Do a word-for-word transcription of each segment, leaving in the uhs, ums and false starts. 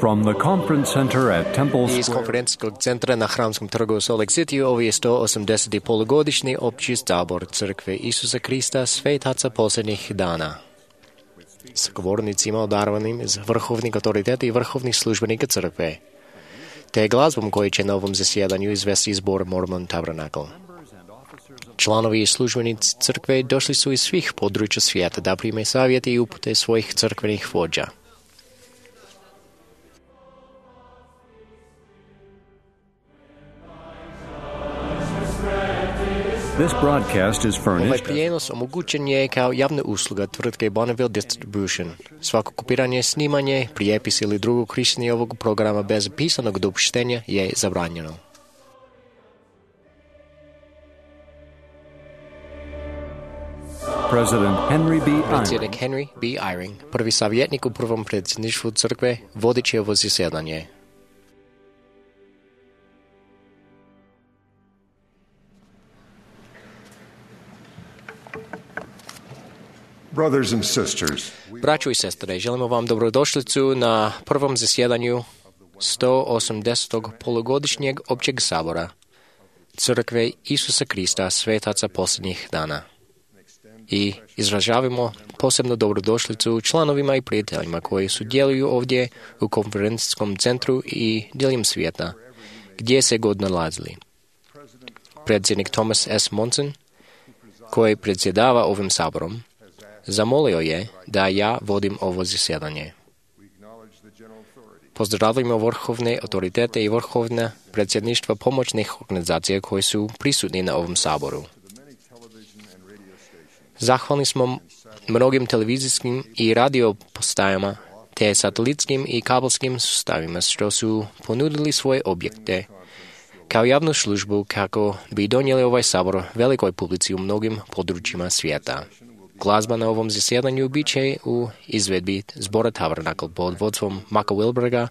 From the conference center at Temple Iz Square. konferencijskog centra na Hramskom trgu u Salt Lake City ovo je sto osamdeseti polugodišnji opći sabor Crkve Isusa Krista svetaca posljednjih dana. S govornicima odarvanim iz vrhovnih autoriteta i vrhovnih službenika Crkve, te glazbom koji će na ovom zasjedanju izvesti zbor Mormon Tabernacle. Članovi i službenici Crkve došli su iz svih područja svijeta da prime savjete i upute svojih crkvenih vođa. This broadcast is Ovaj furnished prijenos omogućen je kao javna usluga tvrtke Bonneville Distribution. Svako kopiranje, snimanje, prijepis ili drugo korištenje ovog programa bez pisanog dopuštenja je zabranjeno. President Henry B. Eyring. Predsjednik Henry B. Eyring, prvi savjetnik u prvom predsjedništvu Crkve, vodit će ovo zasjedanje. Brothers and sisters, Braćo i sestre, želimo vam dobrodošlicu na prvom zasjedanju sto osamdesetog polugodišnjeg općeg sabora Crkve Isusa Krista svetaca posljednjih dana. I izražavamo posebno dobrodošlicu članovima i prijateljima koji sudjeluju ovdje u konferencijskom centru i diljem svijeta, gdje se god nalazili. Predsjednik Thomas S. Monson, koji predsjedava ovim saborom, zamolio je da ja vodim ovo zasjedanje. Pozdravljamo vrhovne autoritete i vrhovne predsjedništva pomoćnih organizacija koji su prisutni na ovom saboru. Zahvalni smo mnogim televizijskim i radio postajama te satelitskim i kabelskim sustavima što su ponudili svoje objekte kao javnu službu kako bi donijeli ovaj sabor velikoj publici u mnogim područjima svijeta. Glazba na ovom zasjedanju bit će u izvedbi zbora Tabernacle pod vodstvom Maka Wilberga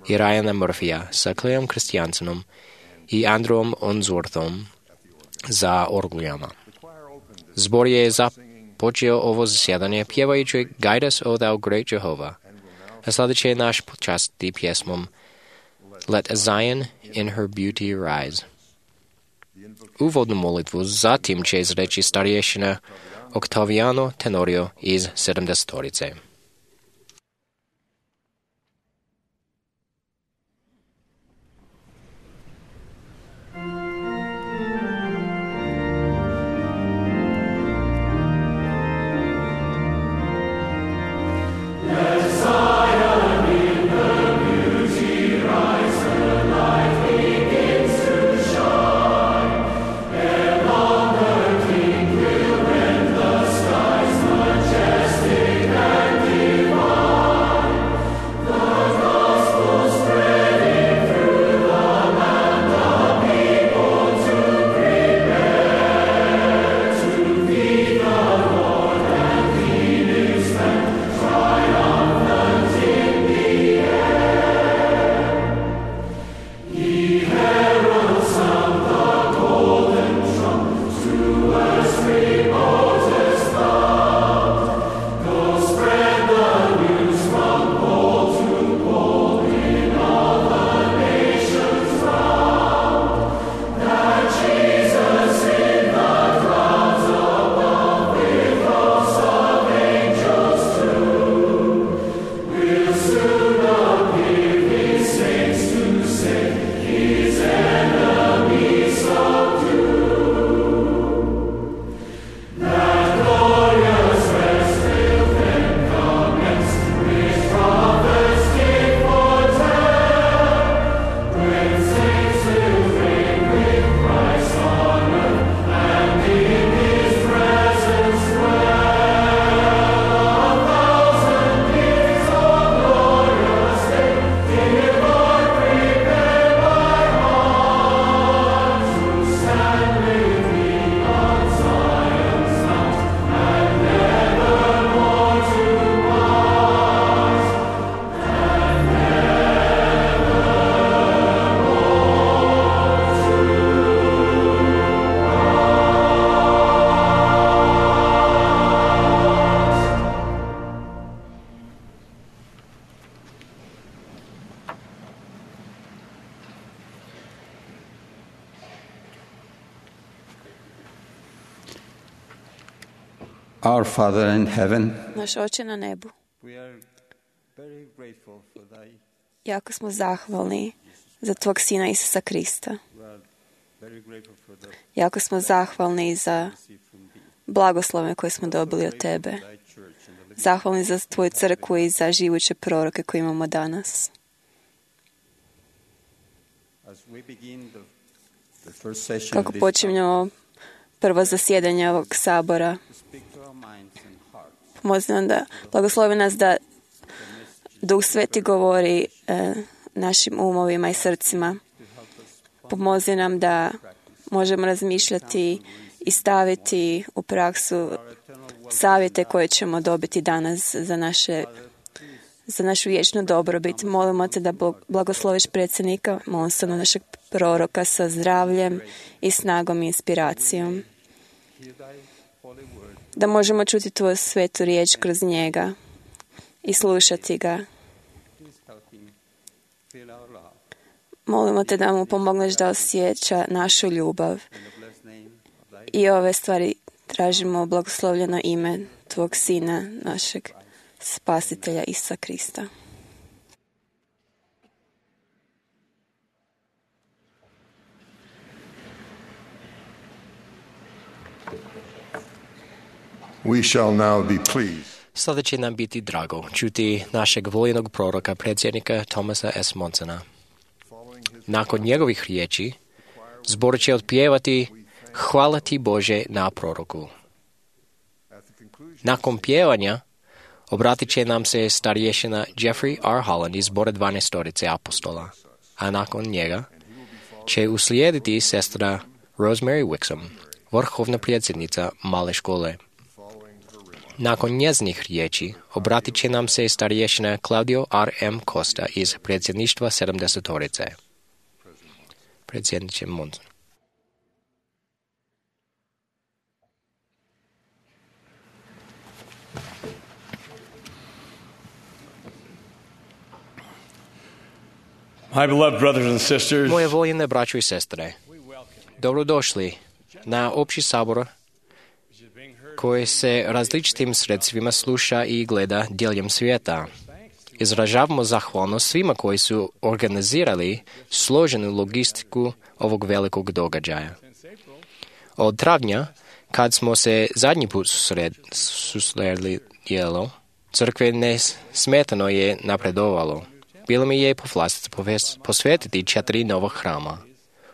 i Ryana Murphya sa Cleom Christiansenom i Andrewom Onsworthom za orglijama. Zbor je započeo ovo zasjedanje pjevajući Guide us, O thou great Jehovah, a sada će naš počastiti pjesmom Let Zion in her beauty rise. Uvodnu molitvu zatim će izreći starješina Octaviano Tenorio iz sedamdesetorice. Majestic and Our Father in heaven, Naš Oče na nebu, we are very grateful for thy, jako smo zahvalni za tvog Sina Isusa Krista. we are very grateful for the Jako smo zahvalni za receive from thee, blagoslove koje smo dobili od tebe. thy church and the living. Zahvalni za tvoju crkvu i za živuće proroke koje imamo danas. As we begin the, the first session Kako of this počinjemo prvo zasjedanje ovog sabora, to speak to our minds and hearts, pomozi nam da blagoslovi nas da Duh Sveti govori e, našim umovima i srcima. Pomozi nam da možemo razmišljati i staviti u praksu savjete koje ćemo dobiti danas za naše za našu vječnu dobrobit. Molimo te da blagosloviš predsjednika, molimo se na našeg proroka sa zdravljem i snagom i inspiracijom. Da možemo čuti tvoju svetu riječ kroz njega i slušati ga. please help him feel our love. Molimo te da mu pomogneš da osjeća našu ljubav. In the blessed name of thy I ove stvari tražimo u blagoslovljeno ime tvog Sina, našeg Spasitelja Isusa Krista. We shall now be pleased Sada će nam biti drago čuti našeg voljenog proroka, predsjednika Thomasa S. Monsona. Nakon njegovih riječi, zbor će otpjevati Hvala ti Bože na proroku. Nakon pjevanja, obratit će nam se starješina Jeffrey R. Holland iz zbora dvanaestorice apostola, a nakon njega će uslijediti sestra Rosemary Wixom, vrhovna predsjednica male škole. Nakon njezinih riječi obratit će nam se starješina Claudio R. M. Costa iz predsjedništva sedamdesetorice. Predsjedniče Monson. My beloved brothers and sisters, Moje voljene braćo i sestre, dobrodošli na opći sabor koji se različitim sredstvima sluša i gleda diljem svijeta. Izražavamo zahvalnost svima koji su organizirali složenu logistiku ovog velikog događaja. Od travnja, kad smo se zadnji put susred, susreli jelo, crkve nesmetano je napredovalo. Bilo mi je povlastica posvetiti četiri nova hrama.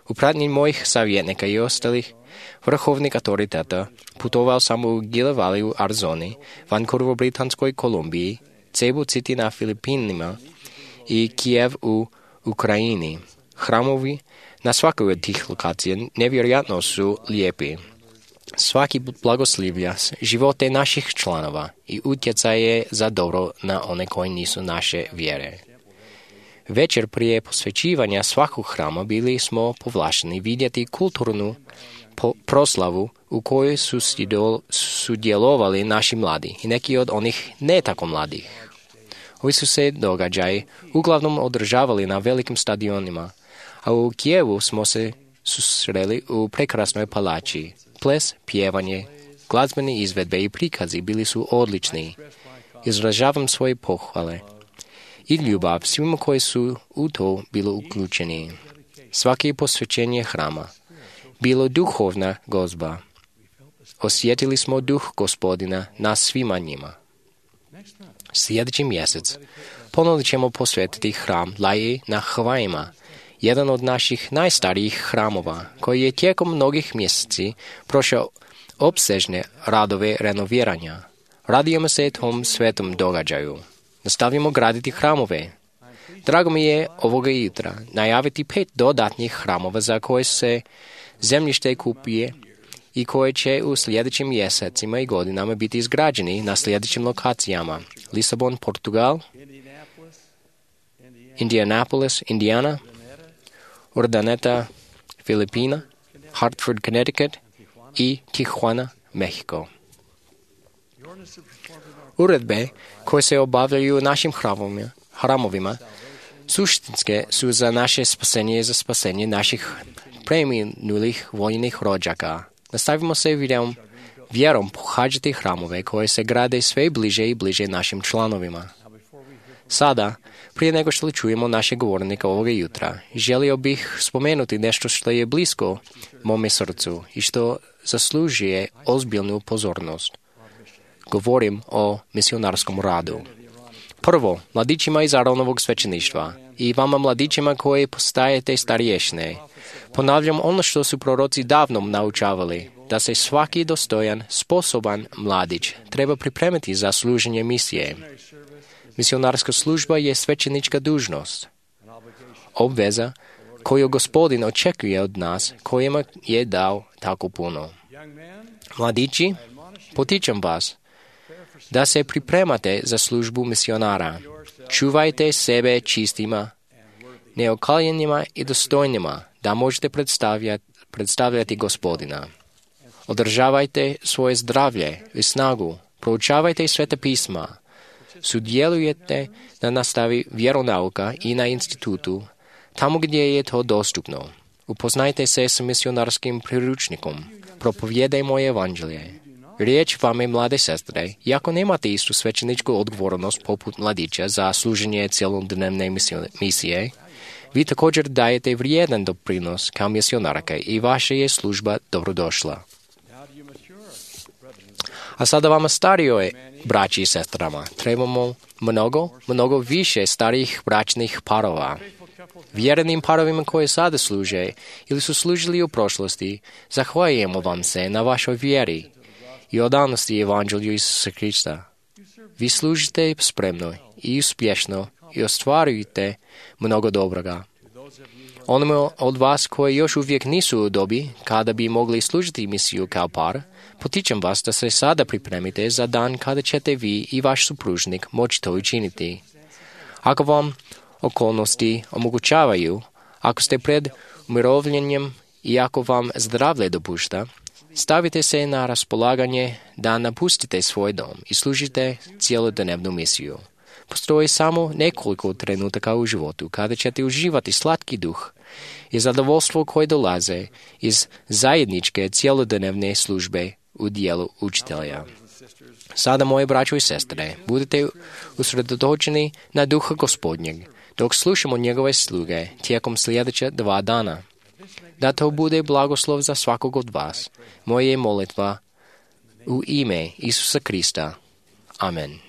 U pratnji mojih savjetnika i ostalih vrhovnih autoriteta putovao sam u Gila Valley u Arizoni, Vancouver u Britanskoj Kolumbiji, Cebu City na Filipinima i Kijev u Ukrajini. Hramovi na svakoj od tih lokacija nevjerojatno su lijepi. Svaki blagoslivlja živote naših članova i utjecaje za dobro na one koji nisu naše vjere. Večer prije posvećivanja svakog hrama bili smo povlašteni vidjeti kulturnu po- proslavu u kojoj su sudjelovali naši mladi i neki od onih ne tako mladih. Ovi su se događaji uglavnom održavali na velikim stadionima, a u Kijevu smo se susreli u prekrasnoj palači. Ples, pjevanje, glazbene izvedbe i prikazi bili su odlični. Izražavam svoje pohvale i ljubav svima koji su u to bilo uključeni. Svaki posvećenje hrama bilo duhovna gozba. Osjetili smo duh Gospodina na svima njima. Sljedeći mjesec ponovno ćemo posvetiti hram Laji na Havajima, jedan od naših najstarijih hramova, koji je tijekom mnogih mjeseci prošao opsežne radove renoviranja. Radujemo se tom svetom događaju. Nastavimo graditi hramove. Drago mi je ovoga jutra najaviti pet dodatnih hramova za koje se zemljište kupuje i koje će u sljedećim mjesecima i godinama biti izgrađeni na sljedećim lokacijama: Lisabon, Portugal, Indianapolis, Indiana, Urdaneta, Filipina, Hartford, Connecticut i Tijuana, Mexico. Uredbe koje se obavljaju u našim hramovima, hramovima suštinske su za naše spasenje i za spasenje naših preminulih vojnih rođaka. Nastavimo se videom vjerom pohađati hramove koje se grade sve bliže i bliže našim članovima. Sada, prije nego što čujemo našeg govornika ovoga jutra, želio bih spomenuti nešto što je blisko mome srcu i što zaslužuje ozbiljnu pozornost. Govorim o misionarskom radu. Prvo, mladićima iz Aronovog svećeništva i vama mladićima koji postajete starješne. Ponavljam ono što su proroci davno naučavali, da se svaki dostojan, sposoban mladić treba pripremiti za služenje misije. Misionarska služba je svećenička dužnost. Obveza koju Gospodin očekuje od nas, kojima je dao tako puno. Mladići, potičem vas da se pripremate za službu misionara. Čuvajte sebe čistima, neokaljenima i dostojnima, da možete predstavljati, predstavljati Gospodina. Održavajte svoje zdravlje i snagu, proučavajte sveta pisma, sudjelujete na nastavi vjeronauka i na institutu, tamo gdje je to dostupno. Upoznajte se s misionarskim priručnikom, propovijedajmo evanđelje. Riječ vame, mlade sestre, iako nemate istu svećeničku odgovornost poput mladića za služenje cjelodnevne misije, vi također dajete vrijedan doprinos kao misionarka i vaša je služba dobrodošla. A sada vama starijoj braći i sestrama trebamo mnogo, mnogo više starijih bračnih parova. Vjerenim parovima koje sada služe ili su služili u prošlosti, zahvaljujemo vam se na vašoj vjeri i odanosti evanđelju Isusa Krista. Vi služite spremno i uspješno i ostvarujete mnogo dobroga. Onima od vas koji još uvijek nisu u dobi kada bi mogli služiti misiju kao par, potičem vas da se sada pripremite za dan kada ćete vi i vaš supružnik moći to učiniti. Ako vam okolnosti omogućavaju, ako ste pred umirovljenjem i ako vam zdravlje dopušta, stavite se na raspolaganje da napustite svoj dom i služite cijelodnevnu misiju. Postoji samo nekoliko trenutaka u životu kada ćete uživati slatki duh i zadovoljstvo koje dolaze iz zajedničke cijelodnevne službe u dijelu učitelja. Sada, moje braćo i sestre, budete usredotočeni na duha Gospodnjeg, dok slušamo njegove sluge tijekom sljedeća dva dana. Da to bude blagoslov za svakog od vas. Moja je molitva u ime Isusa Krista. Amen. Come.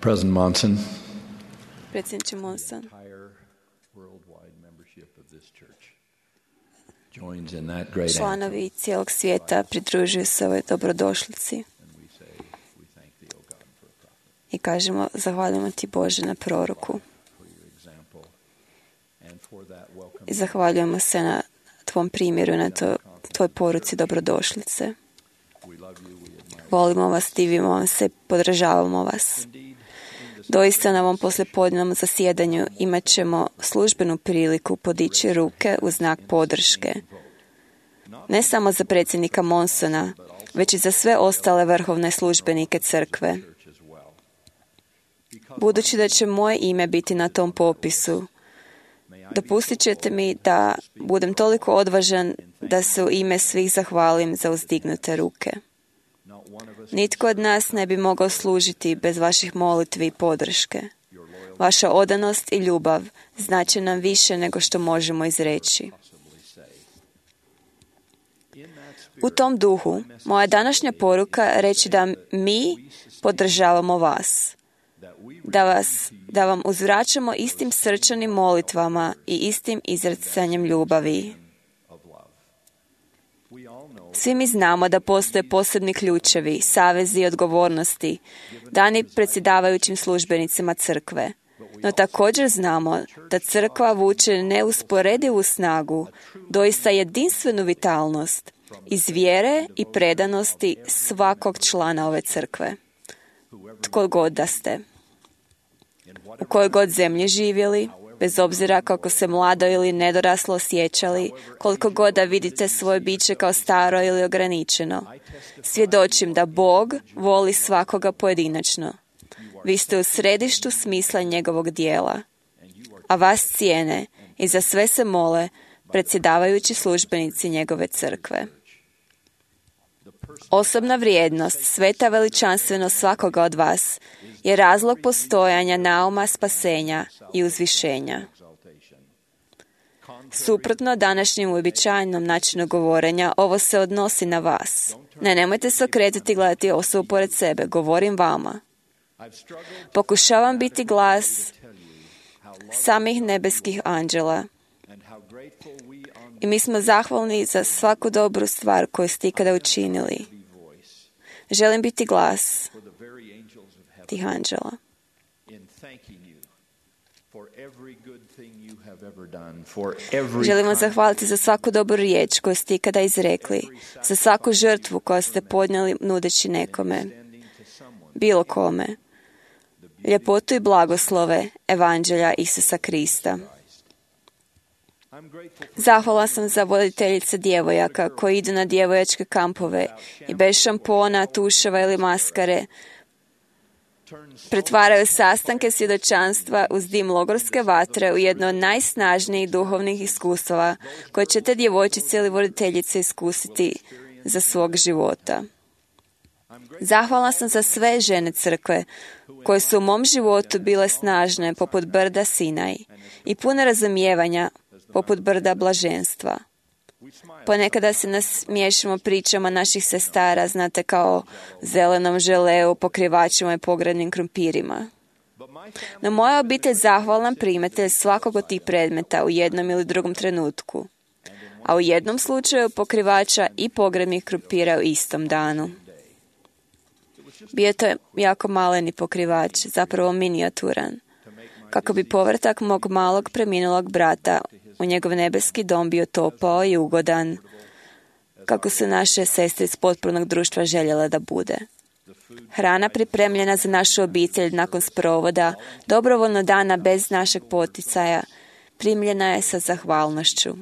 President Monson, Predsjedniče Monson, entire worldwide membership of this church joins in that great anthem, članovi cijelog svijeta pridružuju se ovoj dobrodošlici and we say, we thank thee, O God, for a prophet, i kažemo zahvaljujemo ti Bože na proroku for your example, and for that welcome. i zahvaljujemo se na tvom primjeru, na to, tvoj poruci dobrodošlice. We love you, we admire Volimo vas, divimo vam se, podržavamo vas. Doista na ovom poslijepodnevnom zasjedanju imat ćemo službenu priliku podići ruke u znak podrške. Ne samo za predsjednika Monsona, već i za sve ostale vrhovne službenike crkve. church as well. Budući da će moje ime biti na tom popisu, dopustit ćete mi da budem toliko odvažan da se u ime svih zahvalim za uzdignute ruke. Not one of us Nitko od nas ne bi mogao služiti bez vaših molitvi i podrške. Vaša odanost i ljubav znače nam više nego što možemo izreći. possibly say. In that U spirit, tom duhu, moja današnja poruka reći da mi podržavamo vas, that we da, vas, da vam uzvraćamo istim srčanim molitvama i istim izracanjem ljubavi. of love. We all know Svi mi znamo da postoje posebni ključevi, savezi i odgovornosti dani predsjedavajućim službenicima crkve. No također znamo da crkva vuče neusporedivu snagu, doista jedinstvenu vitalnost iz vjere i predanosti svakog člana ove crkve. Tko god da ste. U kojoj god zemlji živjeli, bez obzira kako se mlado ili nedoraslo osjećali, koliko god da vidite svoje biće kao staro ili ograničeno. Svjedočim da Bog voli svakoga pojedinačno. Vi ste u središtu smisla njegovog dijela, a vas cijene i za sve se mole predsjedavajući službenici njegove crkve. Osobna vrijednost, sveta veličanstvenost svakoga od vas je razlog postojanja nauma spasenja i uzvišenja. exaltation. Suprotno današnjem uobičajenom načinu govorenja, ovo se odnosi na vas. Ne, nemojte se okretati i gledati osobu pored sebe, govorim vama. I've struggled Pokušavam biti glas to tell you how loved samih nebeskih anđela and how grateful we on i mi smo zahvalni za svaku dobru stvar koju ste ikada učinili. the voice Želim biti glas for the very angels of heaven tih anđela. in thanking you for every good thing you have ever done, for every Želim vam kind zahvaliti za svaku dobru riječ koju ste ikada izrekli, za svaku žrtvu koju ste podnijeli nudeći nekome, standing to someone. bilo kome, ljepotu i blagoslove Evanđelja Isusa Krista. I'm grateful Zahvala sam za voditeljice djevojaka koji idu na djevojačke kampove i bez šampona, tuševa ili maskare pretvaraju sastanke svjedočanstva uz dim logorske vatre u jedno od najsnažnijih duhovnih iskustava koje će te djevojčice ili voditeljice iskusiti za svog života. Zahvalna sam za sve žene crkve koje su u mom životu bile snažne poput brda Sinaj i pune razumijevanja poput brda blaženstva. Ponekada se nasmiješimo pričama naših sestara, znate, kao zelenom želeu, pokrivačima i pogradnim krumpirima. No moja obitelj zahvalan primatelj svakog od tih predmeta u jednom ili drugom trenutku, a u jednom slučaju pokrivača i pogradnih krumpira u istom danu. Bio to jako maleni pokrivač, zapravo minijaturan, kako bi povrtak mog malog preminulog brata u njegov nebeski dom bio topao i ugodan, kako su naše sestre iz potpornog društva željele da bude. Hrana pripremljena za našu obitelj nakon sprovoda, dobrovoljno dana bez našeg poticaja, primljena je sa zahvalnošću.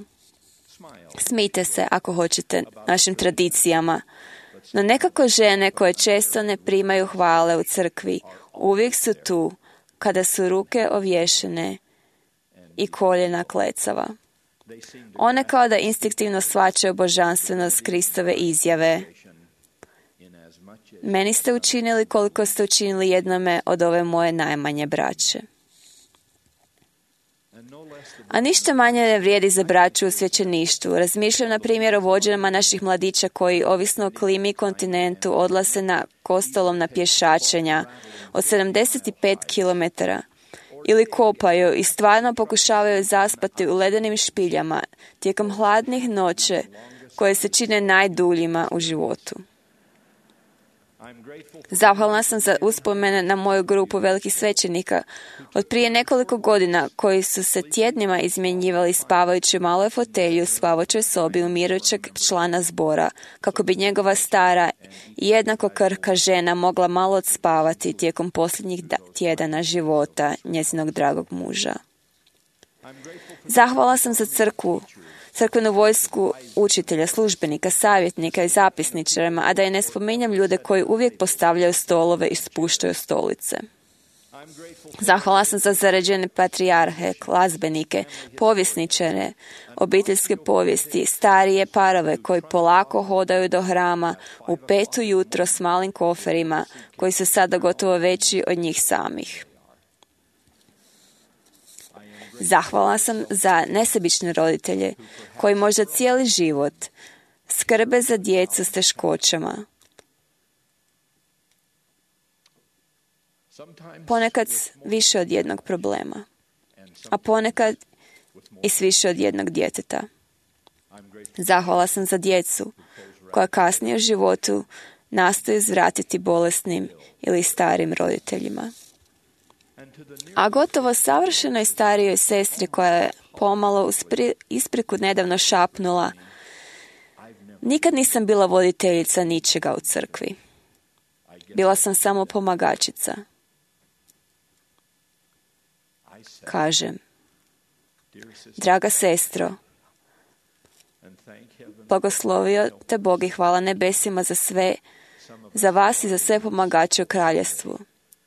Smijte se ako hoćete našim tradicijama, no nekako žene koje često ne primaju hvale u crkvi uvijek su tu kada su ruke ovješene i koljena klecava. One kao da instinktivno shvaćaju božanstvenost Kristove izjave. Meni ste učinili koliko ste učinili jednome od ove moje najmanje braće. A ništa manje ne vrijedi za braću u svećeništvu. Razmišljam na primjer o vođama naših mladića koji, ovisno o klimi i kontinentu, odlaze na kostolom na pješačenja od sedamdeset pet kilometara ili kopaju i stvarno pokušavaju zaspati u ledenim špiljama tijekom hladnih noće koje se čine najduljima u životu. Zahvalna sam za uspomene na moju grupu velikih svećenika od prije nekoliko godina koji su se tjednima izmjenjivali spavajući u maloj fotelji u spavajućoj sobi umirujućeg člana zbora, kako bi njegova stara i jednako krhka žena mogla malo odspavati tijekom posljednjih tjedana života njezinog dragog muža. Zahvala sam za crkvu, crkvenu vojsku učitelja, službenika, savjetnika i zapisničarima, a da i ne spominjem ljude koji uvijek postavljaju stolove i spuštaju stolice. Zahvala sam za zarađene patrijarhe, glazbenike, povjesničare, obiteljske povijesti, starije parove koji polako hodaju do hrama u pet ujutro s malim koferima koji su sada gotovo veći od njih samih. Zahvala sam za nesebične roditelje koji možda cijeli život skrbe za djecu s teškoćama. Ponekad više od jednog problema, a ponekad i s više od jednog djeteta. Zahvala sam za djecu koja kasnije u životu nastoji uzvratiti bolesnim ili starim roditeljima. A gotovo savršenoj starijoj sestri koja je pomalo uz ispriku nedavno šapnula: nikad nisam bila voditeljica ničega u crkvi. Bila sam samo pomagačica. Kažem: draga sestro, blagoslovio te Bog i hvala nebesima za sve, za vas i za sve pomagače u kraljevstvu.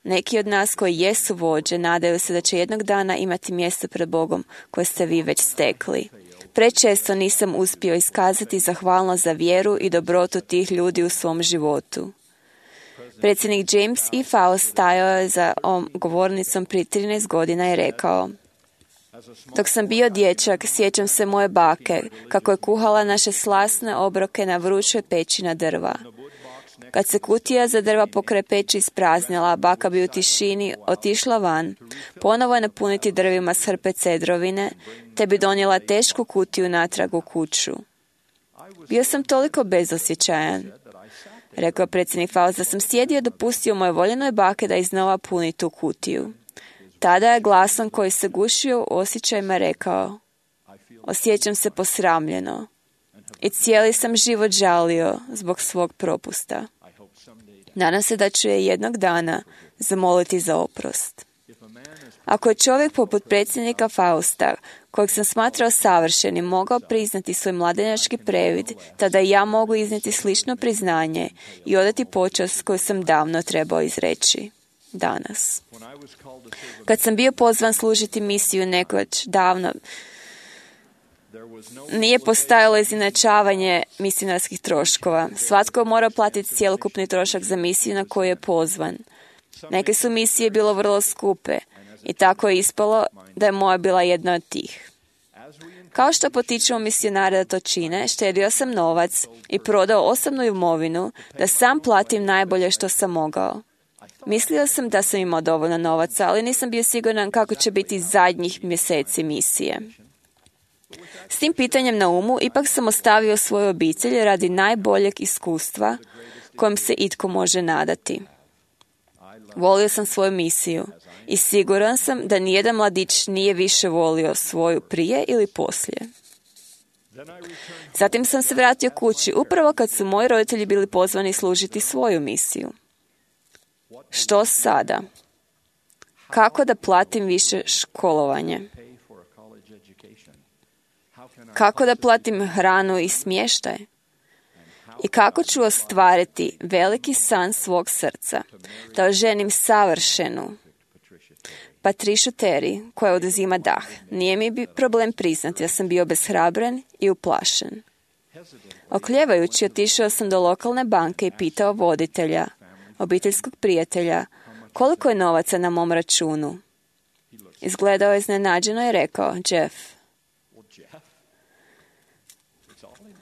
Neki od nas koji jesu vođe nadaju se da će jednog dana imati mjesto pred Bogom koje ste vi već stekli. Prečesto nisam uspio iskazati zahvalnost za vjeru i dobrotu tih ljudi u svom životu. Predsjednik James E. Faust stajao je za ovom govornicom prije trinaest godina i rekao: dok sam bio dječak, sjećam se moje bake, kako je kuhala naše slasne obroke na vrućoj peći na drva. Kad se kutija za drva pokraj peći ispraznila, baka bi u tišini otišla van, ponovo je napuniti drvima s hrpe cedrovine, te bi donijela tešku kutiju natrag u kuću. Bio sam toliko bezosjećajan, rekao predsjednik Faust, da sam sjedio i dopustio moje voljenoj bake da iznova puni tu kutiju. Tada je glasom koji se gušio u osjećajima rekao: osjećam se posramljeno i cijeli sam život žalio zbog svog propusta. Nadam se da ću je jednog dana zamoliti za oprost. Ako je čovjek poput predsjednika Fausta, kojeg sam smatrao savršenim, mogao priznati svoj mladenjački previd, tada i ja mogu iznijeti slično priznanje i odati počast koju sam davno trebao izreći. Danas. Kad sam bio pozvan služiti misiju nekoć davno, nije postojalo izjednačavanje misionarskih troškova. Svatko mora platiti cjelokupni trošak za misiju na koju je pozvan. Neke su misije bilo vrlo skupe i tako je ispalo da je moja bila jedna od tih. Kao što potičemo misionare da to čine, štedio sam novac i prodao osobnu imovinu da sam platim najbolje što sam mogao. Mislio sam da sam imao dovoljno novaca, ali nisam bio siguran kako će biti zadnjih mjeseci misije. S tim pitanjem na umu, ipak sam ostavio svoju obitelj radi najboljeg iskustva kojem se itko može nadati. Volio sam svoju misiju i siguran sam da nijedan mladić nije više volio svoju prije ili poslije. Zatim sam se vratio kući upravo kad su moji roditelji bili pozvani služiti svoju misiju. Što sada? Kako da platim više školovanje? Kako da platim hranu i smještaj? I kako ću ostvariti veliki san svog srca, da oženim savršenu Patricia Terry, koja oduzima dah. Nije mi bi problem priznati da sam bio beshrabren i uplašen. Okljevajući, otišao sam do lokalne banke i pitao voditelja, obiteljskog prijatelja, koliko je novaca na mom računu. Izgledao je iznenađeno i rekao: Jeff,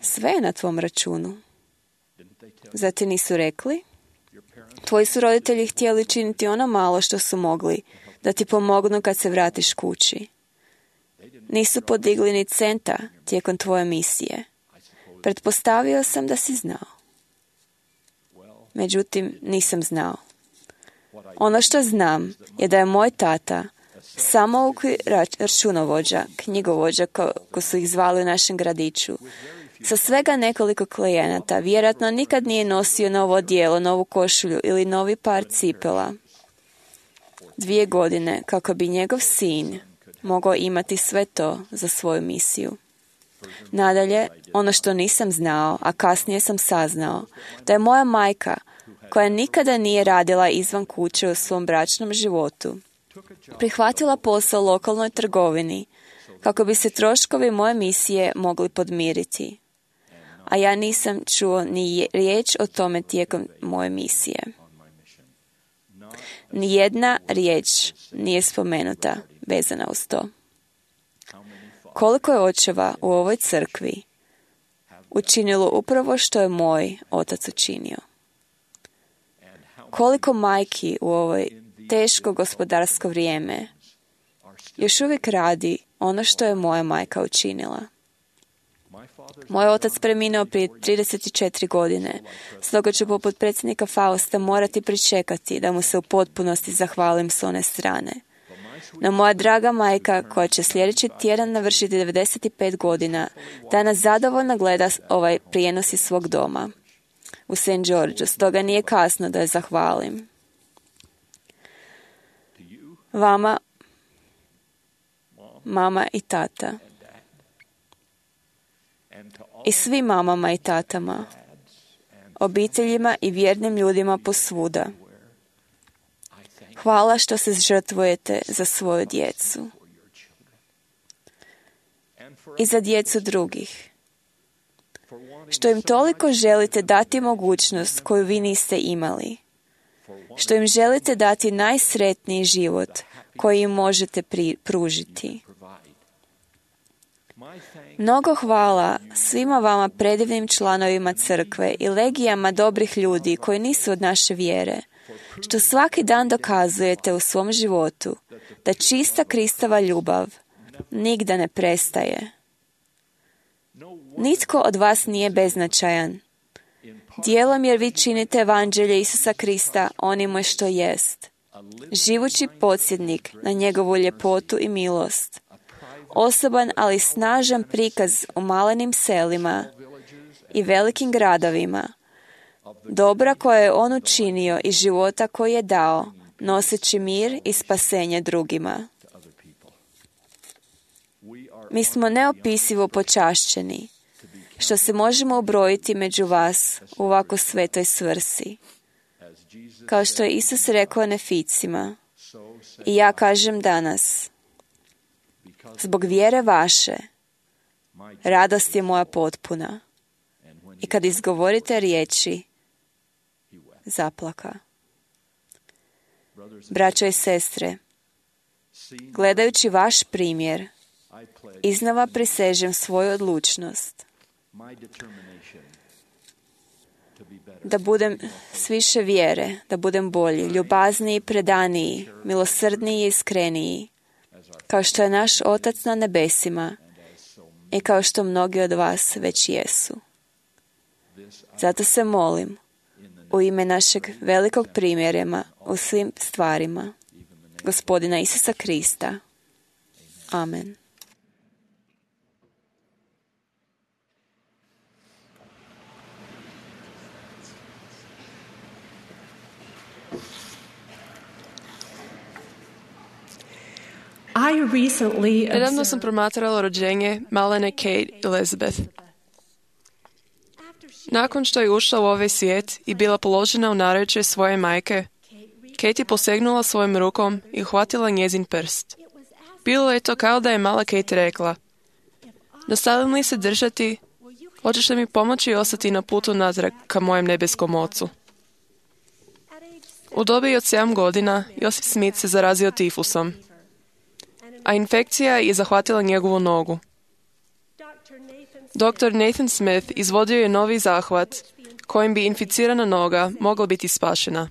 Sve je na tvom računu. Zar ti nisu rekli? Tvoji su roditelji htjeli činiti ono malo što su mogli, da ti pomognu kad se vratiš kući. Nisu podigli ni centa tijekom tvoje misije. Pretpostavio sam da si znao. Međutim, nisam znao. Ono što znam je da je moj tata samouki računovođa, knjigovođa ko, ko su ih zvali u našem gradiću. Sa svega nekoliko klijenata vjerojatno nikad nije nosio novo odijelo, novu košulju ili novi par cipela. Dvije godine kako bi njegov sin mogao imati sve to za svoju misiju. Nadalje, ono što nisam znao, a kasnije sam saznao, da je moja majka, koja nikada nije radila izvan kuće u svom bračnom životu, prihvatila posao lokalnoj trgovini kako bi se troškovi moje misije mogli podmiriti. A ja nisam čuo ni riječ o tome tijekom moje misije. Nijedna riječ nije spomenuta vezana uz to. Koliko je očeva u ovoj crkvi učinilo upravo što je moj otac učinio? Koliko majki u ovoj teško gospodarsko vrijeme još uvijek radi ono što je moja majka učinila? Moj otac preminuo prije trideset četiri godine, stoga ću poput predsjednika Fausta morati pričekati da mu se u potpunosti zahvalim s one strane. No moja draga majka, koja će sljedeći tjedan navršiti devedeset pet godina, danas zadovoljno gleda ovaj prijenos iz svog doma u Saint Georgeu, stoga nije kasno da je zahvalim. Vama, mama i tata, i svim mamama i tatama, obiteljima i vjernim ljudima posvuda. Hvala što se žrtvujete za svoju djecu i za djecu drugih. Što im toliko želite dati mogućnost koju vi niste imali. Što im želite dati najsretniji život koji im možete pri- pružiti. Mnogo hvala svima vama predivnim članovima crkve i legijama dobrih ljudi koji nisu od naše vjere, što svaki dan dokazujete u svom životu da čista Kristova ljubav nigda ne prestaje. Nitko od vas nije beznačajan. Dijelom jer vi činite evanđelje Isusa Krista onime što jest. Živući podsjetnik na njegovu ljepotu i milost. Osoban, ali snažan prikaz u malenim selima i velikim gradovima. Dobra koje je on učinio i života koji je dao, noseći mir i spasenje drugima. Mi smo neopisivo počašćeni, što se možemo ubrojiti među vas u ovako svetoj svrsi. Kao što je Isus rekao Neficima, i ja kažem danas, zbog vjere vaše, radost je moja potpuna. I kad izgovorite riječi, zaplaka. Braćo i sestre, gledajući vaš primjer, iznova prisežem svoju odlučnost da budem s više vjere, da budem bolji, ljubazniji, predaniji, milosrdniji i iskreniji, kao što je naš Otac na nebesima i kao što mnogi od vas već jesu. Zato se molim u ime našeg velikog primjerema u svim stvarima, Gospodina Isusa Krista. Amen. Nedavno sam promatrala rođenje malene Kate Elizabeth. Nakon što je ušla u ovaj svijet i bila položena u naručje svoje majke, Kate je posegnula svojom rukom i uhvatila njezin prst. Bilo je to kao da je mala Kate rekla: nastavim li se držati, hoćeš li mi pomoći ostati na putu natrag ka mojem nebeskom ocu? U dobi od sedam godina Josip Smith se zarazio tifusom, a infekcija je zahvatila njegovu nogu. doktor Nathan Smith izvodio je novi zahvat kojim bi inficirana noga mogla biti spašena.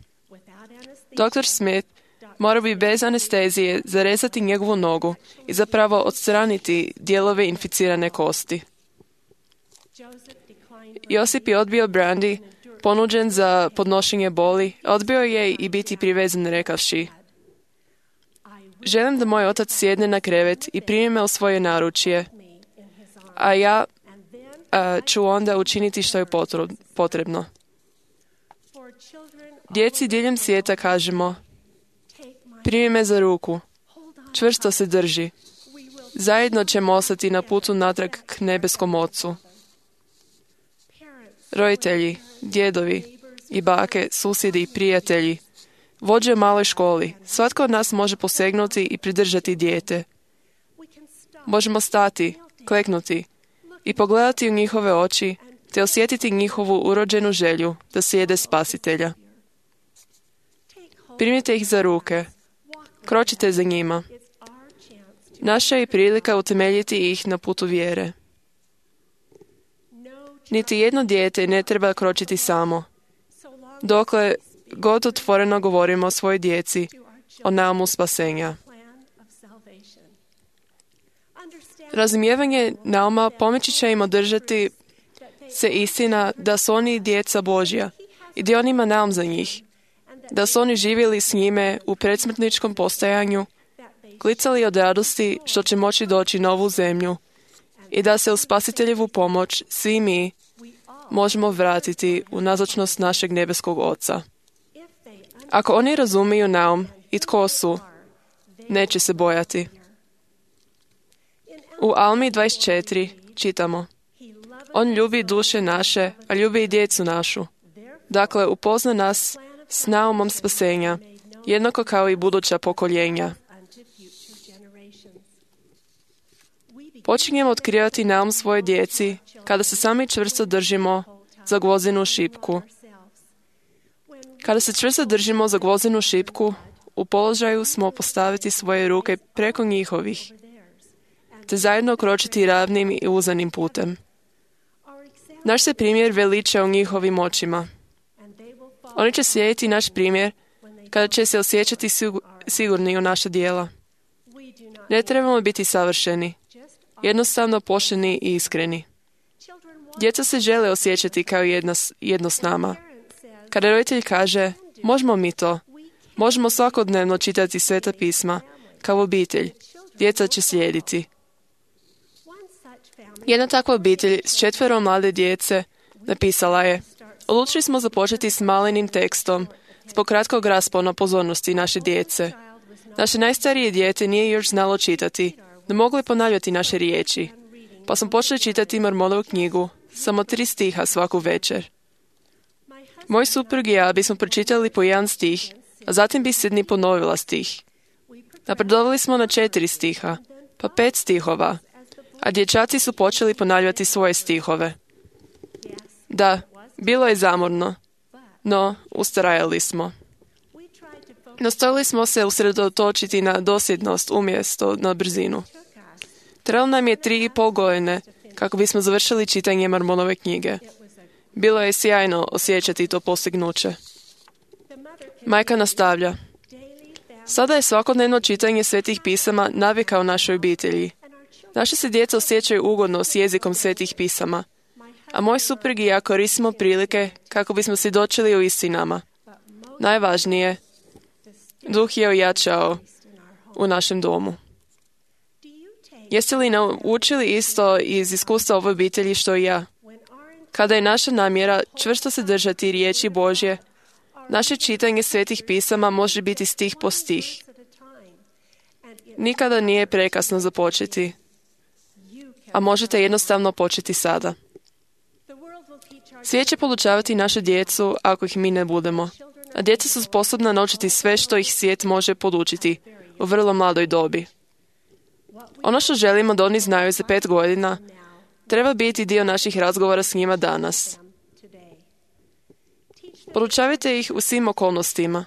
doktor Smith mora bi bez anestezije zarezati njegovu nogu i zapravo odstraniti dijelove inficirane kosti. Josip je odbio Brandy, ponuđen za podnošenje boli, odbio je i biti privezan rekavši: želim da moj otac sjedne na krevet i primi me u svoje naručje, a ja a, ću onda učiniti što je potrebno. Djeci diljem svijeta kažemo: primi me za ruku, čvrsto se drži. Zajedno ćemo ostati na putu natrag k nebeskom Ocu. Roditelji, djedovi i bake, susjedi i prijatelji, vođe u maloj školi, svatko od nas može posegnuti i pridržati dijete. Možemo stati, kleknuti i pogledati u njihove oči, te osjetiti njihovu urođenu želju da slijede Spasitelja. Primite ih za ruke, kročite za njima. Naša je prilika utemeljiti ih na putu vjere. Niti jedno dijete ne treba kročiti samo. Dokle god otvoreno govorimo o svojoj djeci, o naumu spasenja. Razumijevanje nauma pomoći će im održati se istina da su oni djeca Božja i da on ima naum za njih, da su oni živjeli s njime u predsmrtničkom postojanju, klicali od radosti što će moći doći na ovu zemlju i da se u Spasiteljevu pomoć svi mi možemo vratiti u nazočnost našeg nebeskog Oca. Ako oni razumiju naum i tko su, neće se bojati. U Almi dvadeset četiri čitamo: on ljubi duše naše, a ljubi i djecu našu. Dakle, upozna nas s naumom spasenja, jednako kao i buduća pokoljenja. Počinjemo otkrivati naum svoje djeci kada se sami čvrsto držimo za gvozdenu šipku. Kada se čvrsto držimo za gvozdenu šipku, u položaju smo postaviti svoje ruke preko njihovih, te zajedno kročiti ravnim i uzanim putem. Naš se primjer veliča u njihovim očima. Oni će slijediti naš primjer kada će se osjećati sigurni u naša djela. Ne trebamo biti savršeni, jednostavno pošteni i iskreni. Djeca se žele osjećati kao jedna, jedno s nama. Kada roditelj kaže: možemo mi to, možemo svakodnevno čitati Sveta pisma, kao obitelj, djeca će slijediti. Jedna takva obitelj s četvero mlade djece napisala je: odlučili smo započeti s malenim tekstom zbog kratkog raspona pozornosti naše djece. Naše najstarije dijete nije još znalo čitati, ne mogli ponavljati naše riječi, pa smo počeli čitati Mormonovu knjigu, samo tri stiha svaku večer. Moj suprug i ja bismo pročitali po jedan stih, a zatim bi Sidney ponovila stih. Napredovali smo na četiri stiha, pa pet stihova, a dječaci su počeli ponavljati svoje stihove. Da, bilo je zamorno, no ustrajali smo. Nastojali smo se usredotočiti na dosljednost umjesto na brzinu. Trebalo nam je tri i pol godine kako bismo završili čitanje Mormonove knjige. Bilo je sjajno osjećati to postignuće. Majka nastavlja: sada je svakodnevno čitanje Svetih pisama navika u našoj obitelji. Naše se djeca osjećaju ugodno s jezikom Svetih pisama, a moj suprug i ja koristimo prilike kako bismo svjedočili o istinama. Najvažnije, duh je ojačao u našem domu. Jeste li naučili isto iz iskustva ove obitelji što i ja? Kada je naša namjera čvrsto se držati riječi Božje, naše čitanje Svetih pisama može biti stih po stih. Nikada nije prekasno započeti, a možete jednostavno početi sada. Svijet će podučavati našu djecu ako ih mi ne budemo, a djeca su sposobna naučiti sve što ih svijet može podučiti u vrlo mladoj dobi. Ono što želimo da oni znaju za pet godina treba biti dio naših razgovora s njima danas. Podučavajte ih u svim okolnostima.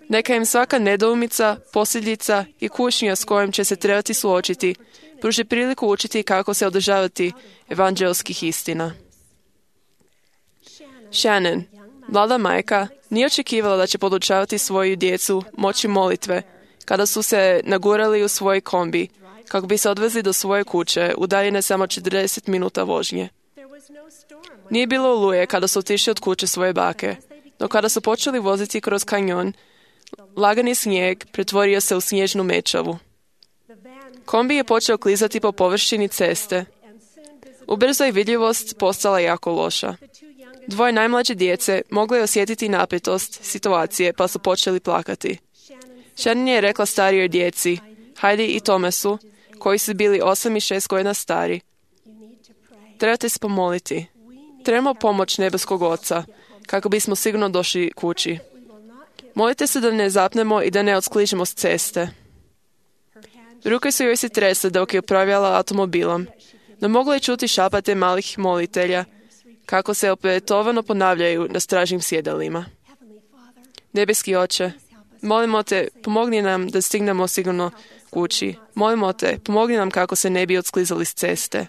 Neka im svaka nedoumica, posljedica i kušnja s kojom će se trebati suočiti pruži priliku učiti kako se održavati evanđelskih istina. Shannon, mlada majka, nije očekivala da će podučavati svoju djecu moći molitve kada su se nagurali u svoj kombi kako bi se odvezli do svoje kuće, udaljene samo četrdeset minuta vožnje. Nije bilo oluje kada su otišli od kuće svoje bake, no kada su počeli voziti kroz kanjon, lagani snijeg pretvorio se u snježnu mečavu. Kombi je počeo klizati po površini ceste. Ubrzo je vidljivost postala jako loša. Dvoje najmlađe djece mogli osjetiti napetost situacije pa su počeli plakati. Shannon je rekla starijoj djeci, Heidi i Thomasu, koji su bili osam i šest godina stari, trebate se pomoliti. Trebamo pomoć nebeskog Oca, kako bismo sigurno došli kući. Molite se da ne zapnemo i da ne odskližemo s ceste. Ruke su joj se tresle dok je upravljala automobilom, no mogla je čuti šapate malih molitelja, kako se opetovano ponavljaju na stražnim sjedalima. Nebeski Oče, molimo te, pomogni nam da stignemo sigurno kući. Molimo te, pomogni nam kako se ne bi odsklizali s ceste.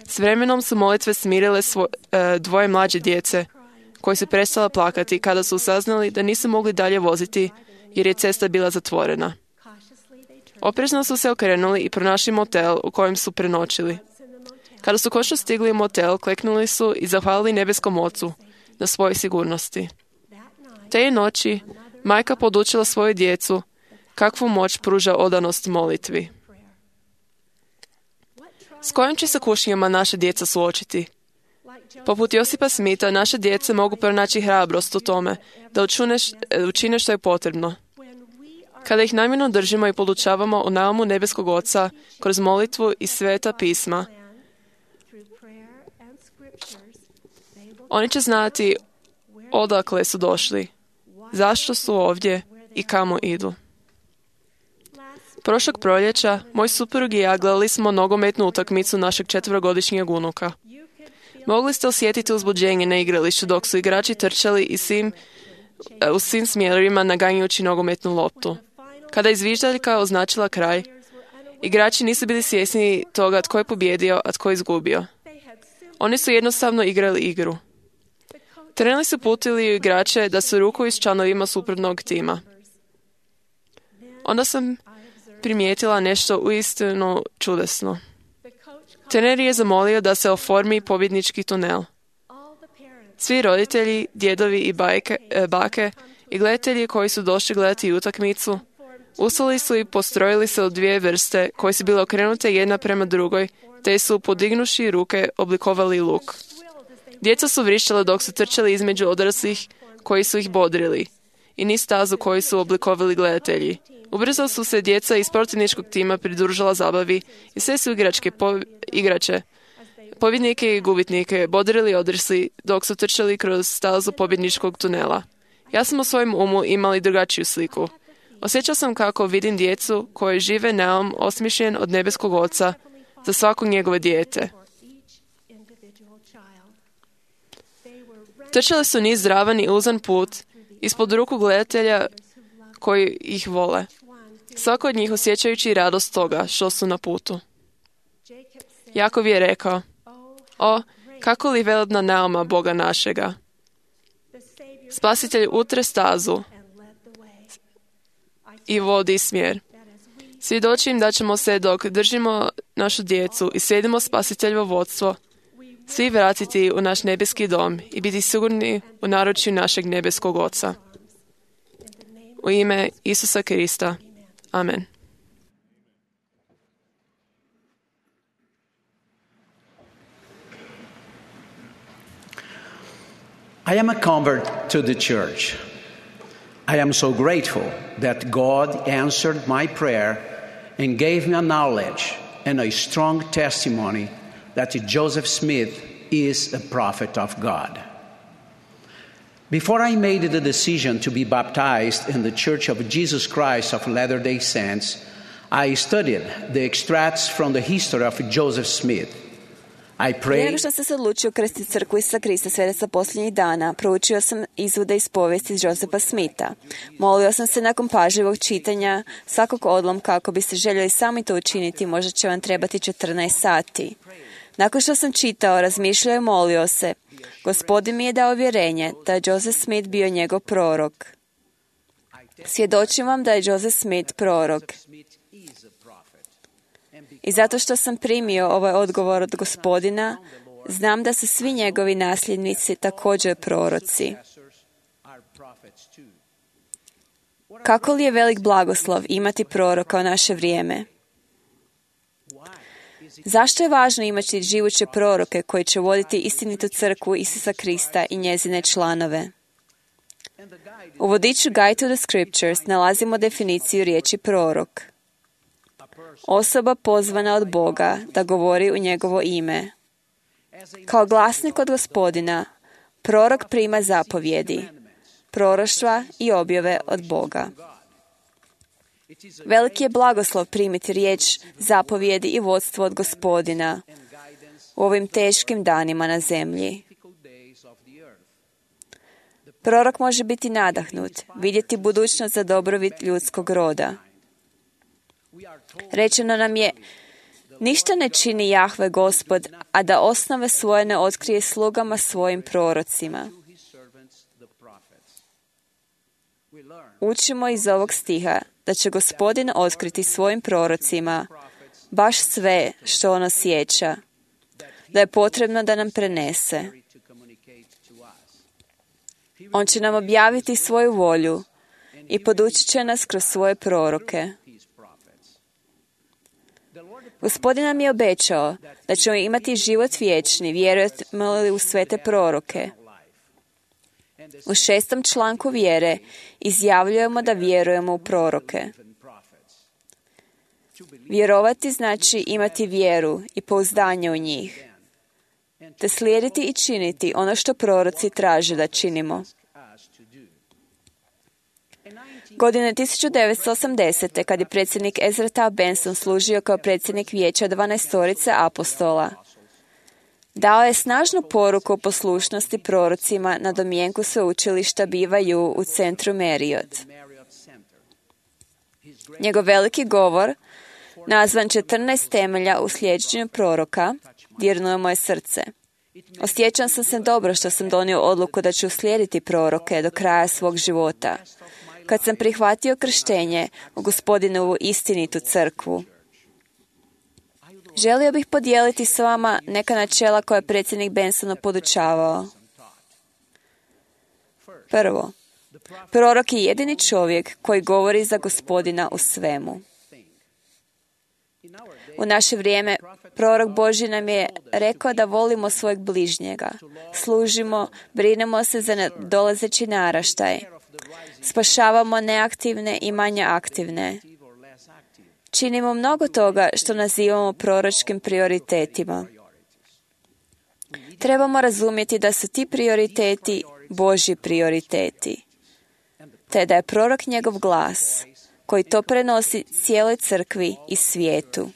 S vremenom su molitve smirile svo, e, dvoje mlađe djece, koji su prestala plakati kada su saznali da nisu mogli dalje voziti jer je cesta bila zatvorena. Oprezno su se okrenuli i pronašli motel u kojem su prenoćili. Kada su konačno stigli u motel, kleknuli su i zahvalili nebeskom Ocu na svojoj sigurnosti. Te je noći majka podučila svoju djecu kakvu moć pruža odanost molitvi. S kojim će se kušnjama naše djeca suočiti? Poput Josipa Smitha, naše djece mogu pronaći hrabrost u tome da učine što je potrebno. Kada ih namjerno držimo i podučavamo o naumu nebeskog Oca kroz molitvu i sveta pisma, oni će znati odakle su došli, zašto su ovdje i kamo idu. Prošlog proljeća, moj suprug i ja gledali smo nogometnu utakmicu našeg četverogodišnjeg unuka. Mogli ste osjetiti uzbuđenje na igralištu dok su igrači trčali i svim, u svim smjerovima naganjujući nogometnu loptu. Kada je zviždaljka označila kraj, igrači nisu bili svjesni toga tko je pobjedio, a tko je izgubio. Oni su jednostavno igrali igru. Treneri su putili igrače da se rukuju s članovima suprotnog tima. Onda sam primijetila nešto uistinu čudesno. Trener je zamolio da se oformi pobjednički tunel. Svi roditelji, djedovi i bajke, e, bake i gledatelji koji su došli gledati utakmicu, ustali su i postrojili se u dvije vrste koje su bile okrenute jedna prema drugoj, te su podignuši ruke oblikovali luk. Djeca su vrištala dok su trčali između odraslih koji su ih bodrili i niz stazu koji su oblikovali gledatelji. Ubrzo su se djeca iz protivničkog tima pridružila zabavi i sve su igračke, po, igrače, pobjednike i gubitnike bodrili odrasli dok su trčali kroz stazu pobjedničkog tunela. Ja sam u svojem umu imali drugačiju sliku. Osjećao sam kako vidim djecu koje žive naum osmišljen od nebeskog Oca za svako njegove dijete. Trčali su niz zdravan i uzan put ispod ruku gledatelja koji ih vole. Svako od njih osjećajući radost toga što su na putu. Jakov je rekao, o, kako li velebna nauma Boga našega. Spasitelj utre stazu i vodi smjer. Svjedočim da ćemo se dok držimo našu djecu i slijedimo Spasiteljevo vodstvo, svi vratiti u naš nebeski dom i biti sigurni u naručju našeg nebeskog Oca. U ime Isusa Krista. Amen. I am a convert to the church. I am so grateful that God answered my prayer and gave me a knowledge and a strong testimony that Joseph Smith is a prophet of God. Before I made the decision to be baptized in the Church of Jesus Christ of Latter-day Saints, I studied the extracts from the history of Joseph Smith. I Prije nego prayed što sam se odlučio krstiti crkvu Isusa Krista svetaca posljednjih dana, proučio sam izvode iz povijesti Josefa Smitha. Molio sam se nakon pažljivog čitanja svakog odlomka, ako biste željeli sami to učiniti, možda će vam trebati četrnaest sati. Nakon što sam čitao, razmišljao i molio se, Gospodin mi je dao vjerenje da je Joseph Smith bio njegov prorok. Svjedočim vam da je Joseph Smith prorok. I zato što sam primio ovaj odgovor od Gospodina, znam da su svi njegovi nasljednici također proroci. Kako li je velik blagoslov imati proroka u naše vrijeme? Zašto je važno imati živuće proroke koji će voditi istinitu crkvu Isusa Krista i njezine članove? U vodiču Guide to the Scriptures nalazimo definiciju riječi prorok. Osoba pozvana od Boga da govori u njegovo ime. Kao glasnik od Gospodina, prorok prima zapovjedi, proroštva i objave od Boga. Veliki je blagoslov primiti riječ, zapovjedi i vodstvo od Gospodina u ovim teškim danima na zemlji. Prorok može biti nadahnut, vidjeti budućnost za dobrobit ljudskog roda. Rečeno nam je, ništa ne čini Jahve Gospod, a da osnove svoje ne otkrije slugama svojim prorocima. Učimo iz ovog stiha da će Gospodin otkriti svojim prorocima baš sve što on osjeća, da je potrebno da nam prenese. On će nam objaviti svoju volju i podučit će nas kroz svoje proroke. Gospodin nam je obećao da ćemo imati život vječni, vjerujemo li u svete proroke. U šestom članku vjere izjavljujemo da vjerujemo u proroke. Vjerovati znači imati vjeru i pouzdanje u njih, te slijediti i činiti ono što proroci traže da činimo. Godine tisuću devetsto osamdesete. kad je predsjednik Ezra Taft Benson služio kao predsjednik vijeća dvanaestorice apostola, dao je snažnu poruku o poslušnosti prorocima na domjenku sveučilišta B Y U u centru Marriott. Njegov veliki govor, nazvan četrnaest temelja u slijeđenju proroka, dirnuo je moje srce. Osjećam sam se dobro što sam donio odluku da ću uslijediti proroke do kraja svog života, kad sam prihvatio krštenje u Gospodinovu istinitu crkvu. Želio bih podijeliti s vama neka načela koje je predsjednik Benson podučavao. Prvo, prorok je jedini čovjek koji govori za Gospodina u svemu. U naše vrijeme prorok Božji nam je rekao da volimo svojeg bližnjega, služimo, brinemo se za nadolazeći naraštaj, spašavamo neaktivne i manje aktivne. Činimo mnogo toga što nazivamo proročkim prioritetima. Trebamo razumjeti da su ti prioriteti Božji prioriteti, te da je prorok njegov glas koji to prenosi cijeloj crkvi i svijetu.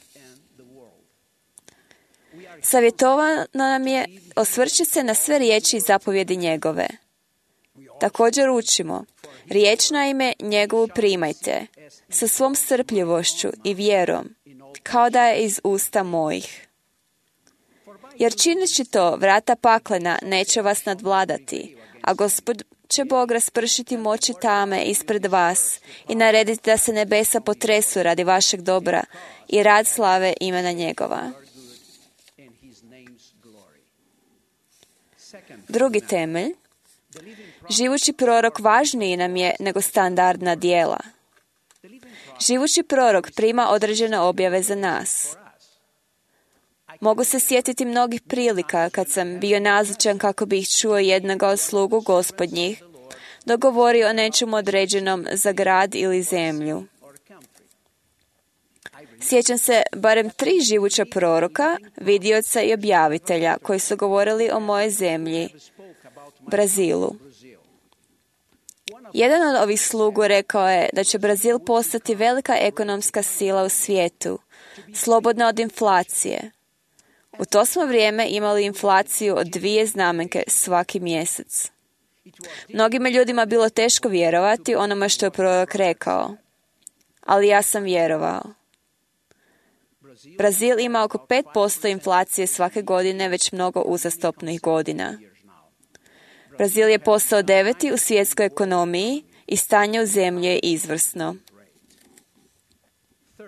Savjetovano nam je osvrći se na sve riječi i zapovjedi njegove. Također učimo, riječ na ime njegovu primajte, sa svom strpljivošću i vjerom, kao da je iz usta mojih. Jer čineći to, vrata paklena neće vas nadvladati, a Gospod će Bog raspršiti moći tame ispred vas i narediti da se nebesa potresu radi vašeg dobra i rad slave imena njegova. Drugi temelj, živući prorok važniji nam je nego standardna djela. Živući prorok prima određene objave za nas. Mogu se sjetiti mnogih prilika kad sam bio nazočan kako bih čuo jednoga od slugu gospodnjih, dok govori o nečemu određenom za grad ili zemlju. Sjećam se barem tri živuća proroka, vidioca i objavitelja koji su govorili o mojoj zemlji, Brazilu. Jedan od ovih slugu rekao je da će Brazil postati velika ekonomska sila u svijetu, slobodna od inflacije. U to smo vrijeme imali inflaciju od dvije znamenke svaki mjesec. Mnogima ljudima bilo teško vjerovati onome što je prorok rekao, ali ja sam vjerovao. Brazil ima oko pet posto inflacije svake godine već mnogo uzastopnih godina. Brazil je postao deveti u svjetskoj ekonomiji i stanje u zemlji je izvrsno.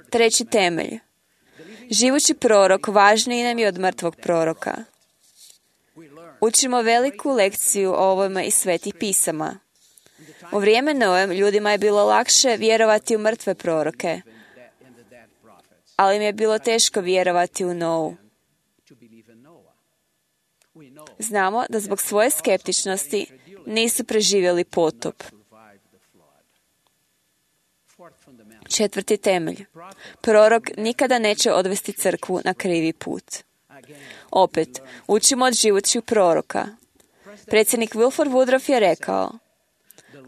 Treći temelj. Živući prorok važniji nam je od mrtvog proroka. Učimo veliku lekciju o ovome iz svetih pisama. U vrijeme Noe ljudima je bilo lakše vjerovati u mrtve proroke, ali im je bilo teško vjerovati u Novu. Znamo da zbog svoje skeptičnosti nisu preživjeli potop. Četvrti temelj. Prorok nikada neće odvesti crkvu na krivi put. Opet, učimo od živućih proroka. Predsjednik Wilford Woodruff je rekao: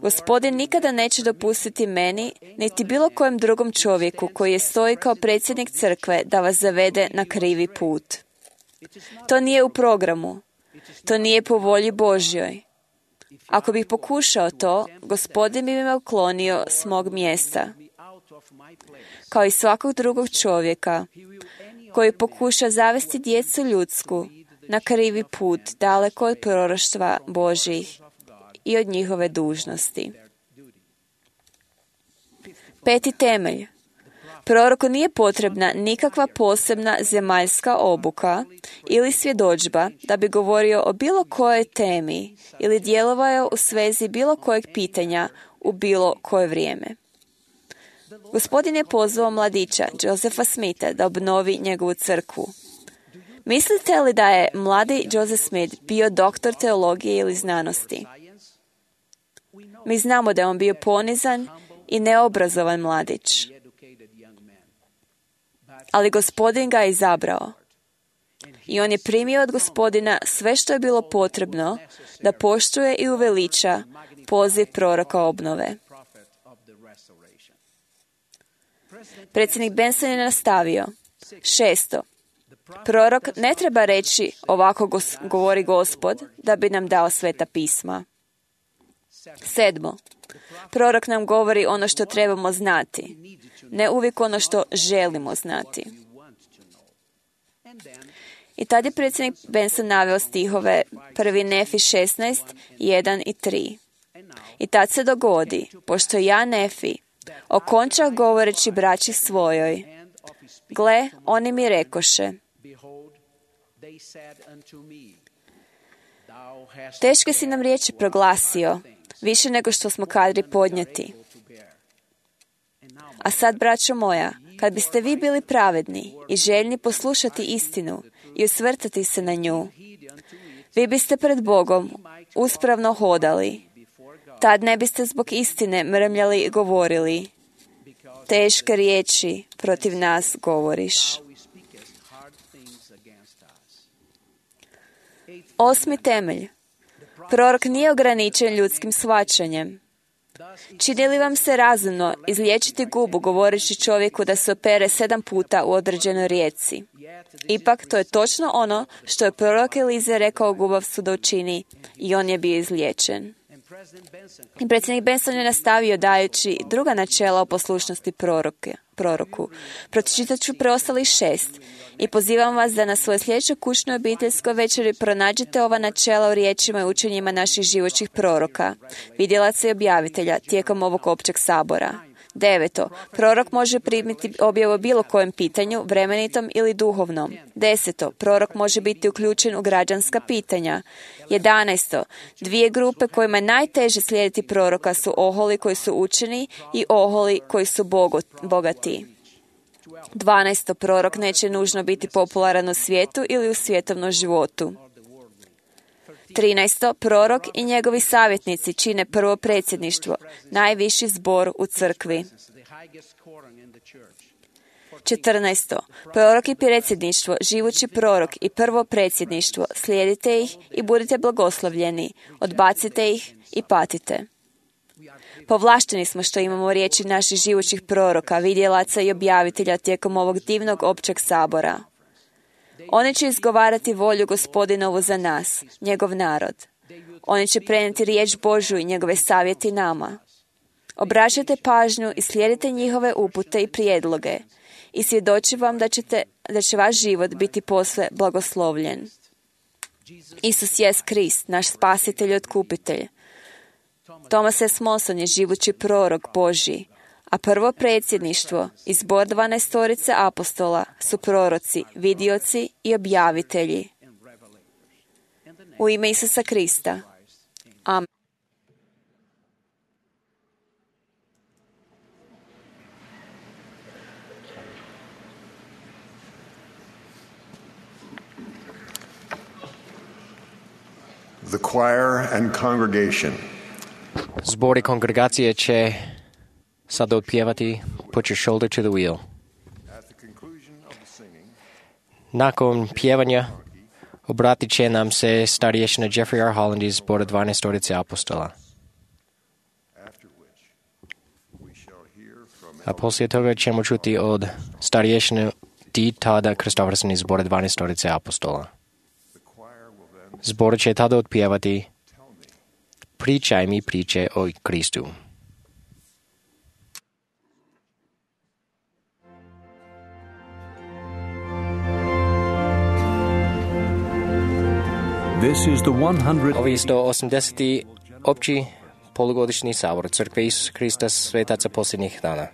Gospodin nikada neće dopustiti meni, niti bilo kojem drugom čovjeku koji je stoji kao predsjednik crkve da vas zavede na krivi put. To nije u programu. To nije po volji Božjoj. Ako bih pokušao to, Gospodin bi me uklonio s mog mjesta. Kao i svakog drugog čovjeka koji pokuša zavesti djecu ljudsku na krivi put daleko od proroštva Božjih i od njihove dužnosti. Peti temelj. Proroku nije potrebna nikakva posebna zemaljska obuka ili svjedodžba da bi govorio o bilo kojoj temi ili djelovao u svezi bilo kojeg pitanja u bilo koje vrijeme. Gospodin je pozvao mladića Josepha Smitha da obnovi njegovu crkvu. Mislite li da je mladi Joseph Smith bio doktor teologije ili znanosti? Mi znamo da je on bio ponizan i neobrazovan mladić. Ali Gospodin ga je izabrao. I on je primio od Gospodina sve što je bilo potrebno da poštuje i uveliča poziv proroka obnove. Predsjednik Benson je nastavio. Šesto. Prorok ne treba reći ovako gos- govori Gospod da bi nam dao sveta pisma. Sedmo. Prorok nam govori ono što trebamo znati, ne uvijek ono što želimo znati. I tad je predsjednik Benson naveo stihove prvi Nefi šesnaest, jedan i tri. I tad se dogodi, pošto ja Nefi okončah govoreći braći svojoj, gle, oni mi rekoše, teške si nam riječi proglasio, više nego što smo kadri podnijeti. A sad, braćo moja, kad biste vi bili pravedni i željni poslušati istinu i usvrtati se na nju, vi biste pred Bogom uspravno hodali. Tad ne biste zbog istine mrmljali i govorili, teške riječi protiv nas govoriš. Osmi temelj. Prorok nije ograničen ljudskim shvaćanjem. Čini li vam se razumno izliječiti gubu govoreći čovjeku da se opere sedam puta u određenoj rijeci? Ipak to je točno ono što je prorok Elize rekao gubavcu da učini i on je bio izliječen. I predsjednik Benson je nastavio dajući druga načela o poslušnosti proroke, proroku. Pročitat ću preostalih šest i pozivam vas da na svojoj sljedećoj kućnoj obiteljskoj večeri pronađete ova načela u riječima i učenjima naših živoćih proroka, vidjelaca i objavitelja tijekom ovog općeg sabora. Deveto. Prorok može primiti objavu o bilo kojem pitanju, vremenitom ili duhovnom. Deseto. Prorok može biti uključen u građanska pitanja. Jedanaesto. Dvije grupe kojima je najteže slijediti proroka su oholi koji su učeni i oholi koji su bogati. Dvanaesto. Prorok neće nužno biti popularan u svijetu ili u svjetovnom životu. Trinaesto. Prorok i njegovi savjetnici čine prvo predsjedništvo, najviši zbor u crkvi. Četrnaesto. Prorok i predsjedništvo, živući prorok i prvo predsjedništvo, slijedite ih i budite blagoslovljeni, odbacite ih i patite. Povlašteni smo što imamo riječi naših živućih proroka, vidjelaca i objavitelja tijekom ovog divnog općeg sabora. Oni će izgovarati volju Gospodinovu za nas, njegov narod. Oni će prenijeti riječ Božju i njegove savjeti nama. Obraćajte pažnju i slijedite njihove upute i prijedloge i svjedoči vam da, ćete, da će vaš život biti posve blagoslovljen. Isus jest Krist, naš spasitelj i otkupitelj. Thomas S. Monson je živući prorok Božji, a prvo predsjedništvo i zbor dvanaestorice apostola su proroci, vidioci i objavitelji. U ime Isusa Krista. Amen. The choir and congregation. Zbor i kongregacije će sada otpjevati Put your shoulder to the wheel. Nakon pjevanja obratit će nam se starješina Jeffrey R. Holland iz zbora dvanaestorice apostola. A poslije toga ćemo čuti od starješine D. Tada Kristofferson iz zbora dvanaestorice apostola. Zbor će tada otpjevati Pričaj mi priče o Kristu. This is the one hundred Ovi sto osamdeseti opći polugodišnji sabor Crkve Isusa Krista svetaca posljednjih dana.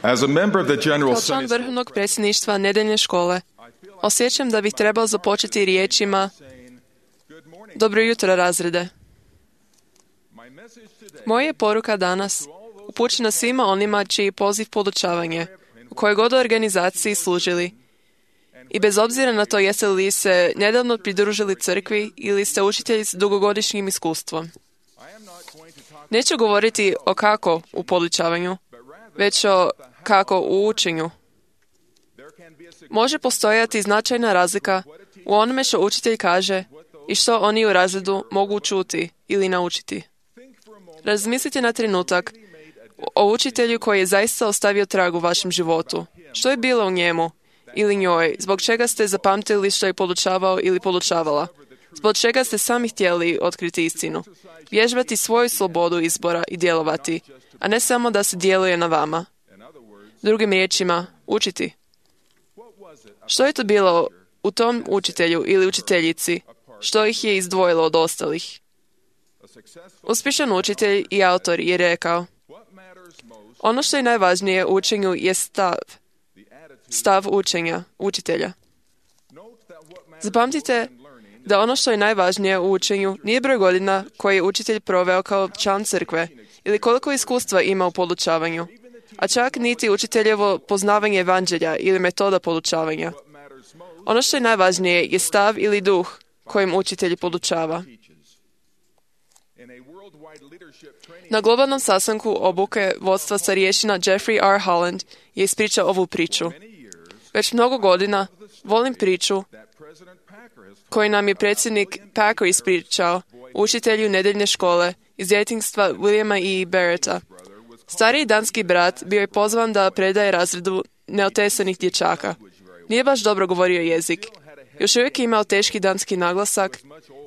As a member of the General Kao član Sunday vrhovnog predsjedništva nedeljne škole, osjećam da bih trebao započeti riječima Dobro jutro, razrede. Moja je poruka danas upućena svima onima čiji poziv podučavanje, u kojoj god organizaciji služili. I bez obzira na to jeste li se nedavno pridružili crkvi ili ste učitelji s dugogodišnjim iskustvom. Neću govoriti o kako u podučavanju, već o kako u učenju. Može postojati značajna razlika u onome što učitelj kaže i što oni u razredu mogu čuti ili naučiti. Razmislite na trenutak o učitelju koji je zaista ostavio trag u vašem životu. Što je bilo u njemu ili njoj, zbog čega ste zapamtili što je podučavao ili podučavala, zbog čega ste sami htjeli otkriti istinu, vježbati svoju slobodu izbora i djelovati, a ne samo da se djeluje na vama. Drugim riječima, učiti. Što je to bilo u tom učitelju ili učiteljici, što ih je izdvojilo od ostalih? Uspješan učitelj i autor je rekao, ono što je najvažnije u učenju je stav, stav učenja, učitelja. Zapamtite da ono što je najvažnije u učenju nije broj godina koje je učitelj proveo kao član crkve ili koliko iskustva ima u podučavanju, a čak niti učiteljevo poznavanje evanđelja ili metoda podučavanja. Ono što je najvažnije je stav ili duh kojim učitelj podučava. Na globalnom sastanku obuke vodstva starješina Jeffrey R. Holland je ispričao ovu priču. Već mnogo godina volim priču koju nam je predsjednik Packer ispričao, učitelju nedeljne škole iz djetinjstva Williama E. Barretta. Stariji danski brat bio je pozvan da predaje razredu neotesanih dječaka. Nije baš dobro govorio jezik. Još uvijek je imao teški danski naglasak,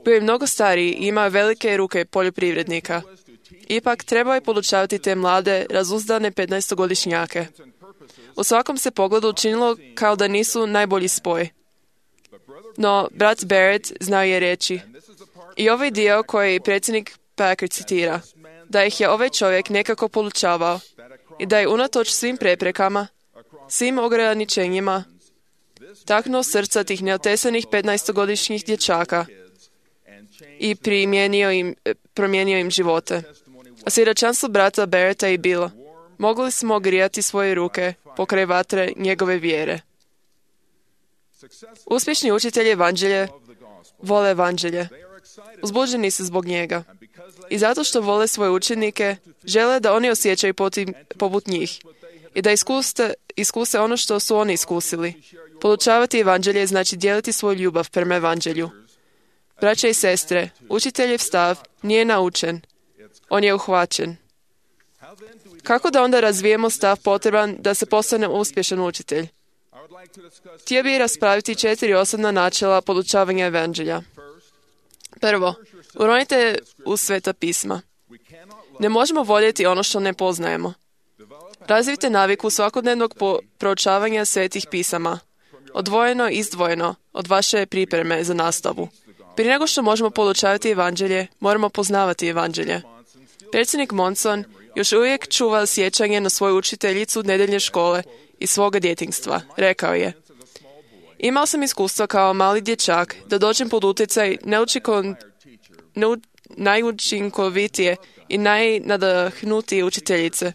bio je mnogo stariji i imao velike ruke poljoprivrednika. Ipak trebao je podučavati te mlade, razuzdane petnaestogodišnjake. U svakom se pogledu učinilo kao da nisu najbolji spoj. No, brat Barrett znao je reći, i ovaj dio koji predsjednik Packer citira, da ih je ovaj čovjek nekako podučavao i da je unatoč svim preprekama, svim ograničenjima, taknuo srca tih neotesanih petnaestogodišnjih dječaka i primijenio im, promijenio im živote. A svjedočanstvo brata Barretta je bilo, mogli smo grijati svoje ruke pokraj vatre njegove vjere. Uspješni učitelji evanđelje vole evanđelje. Uzbuđeni su zbog njega. I zato što vole svoje učenike, žele da oni osjećaju potim, poput njih i da iskuse, iskuse ono što su oni iskusili. Podučavati evanđelje znači dijeliti svoju ljubav prema evanđelju. Braće i sestre, učiteljev stav nije naučen, on je uhvaćen. Kako da onda razvijemo stav potreban da se postane uspješan učitelj? Htio bih raspraviti četiri osnovna načela podučavanja evanđelja. Prvo, uronite u sveta pisma. Ne možemo voljeti ono što ne poznajemo. Razvijte naviku svakodnevnog proučavanja svetih pisama, odvojeno i izdvojeno od vaše pripreme za nastavu. Prije nego što možemo podučavati evanđelje, moramo poznavati evanđelje. Predsjednik Monson još uvijek čuva sjećanje na svoju učiteljicu nedeljne škole iz svoga djetinjstva. Rekao je, imao sam iskustva kao mali dječak da dođem pod utjecaj neučikon, neu, najučinkovitije i najnadahnutije učiteljice,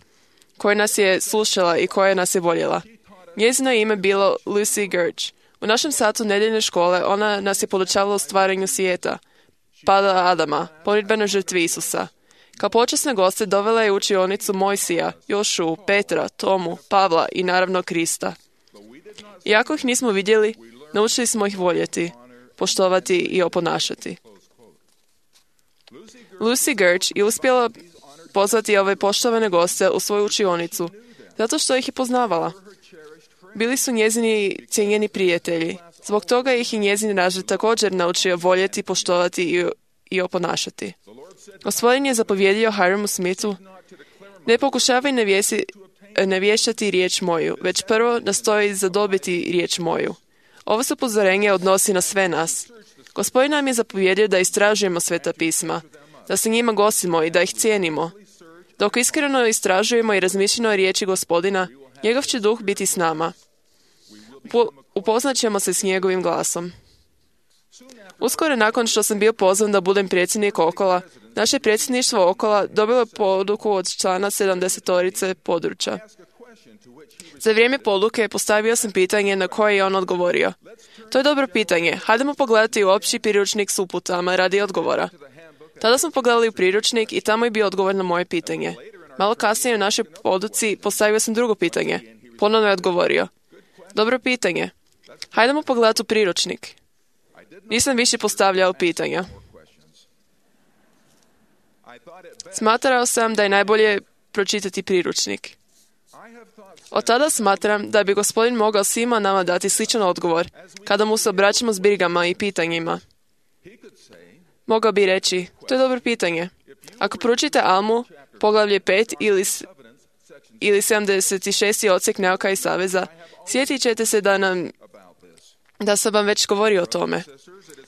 koja nas je slušala i koja nas je voljela. Njezino ime bilo Lucy Gertsch. U našem satu nedeljne škole ona nas je podučavala o stvaranju svijeta, pada Adama, pomirbenoj žrtvi Isusa. Kao počasne goste dovela je u učionicu Mojsija, Jošu, Petra, Tomu, Pavla i naravno Krista. Iako ih nismo vidjeli, naučili smo ih voljeti, poštovati i oponašati. Lucy Gertsch je uspjela pozvati ove poštovane goste u svoju učionicu, zato što ih je poznavala. Bili su njezini cijenjeni prijatelji. Zbog toga ih i njezin razred također naučio voljeti, poštovati i, i oponašati. Gospodin je zapovjedio Hiramu Smithu, ne pokušavaj nevjesi, nevještati riječ moju, već prvo nastoji zadobiti riječ moju. Ovo se upozorenje odnosi na sve nas. Gospodin nam je zapovjedio da istražujemo sveta pisma, da se njima gosimo i da ih cijenimo. Dok iskreno istražujemo i razmišljamo o riječi Gospodina, njegov će duh biti s nama. Upoznat ćemo se s njegovim glasom. Uskoro nakon što sam bio pozvan da budem predsjednik Okola, Naše predsjedništvo Okola dobilo je poduku od člana sedamdesetorice područja. Za vrijeme poduke postavio sam pitanje na koje je on odgovorio. To je dobro pitanje. Hajdemo pogledati u opći priručnik s uputama radi odgovora. Tada smo pogledali u priručnik i tamo je bio odgovor na moje pitanje. Malo kasnije u našoj poduci postavio sam drugo pitanje. Ponovno je odgovorio. Dobro pitanje. Hajdemo pogledati u priručnik. Nisam više postavljao pitanja. Smatrao sam da je najbolje pročitati priručnik. Od tada smatram da bi Gospodin mogao svima nama dati sličan odgovor kada mu se obraćamo s brigama i pitanjima. Mogao bi reći, to je dobro pitanje. Ako proučite Almu, poglavlje pet ili, ili sedamdeset šesti odsjek Nauka i saveza, sjetit ćete se da, nam, da sam vam već govorio o tome.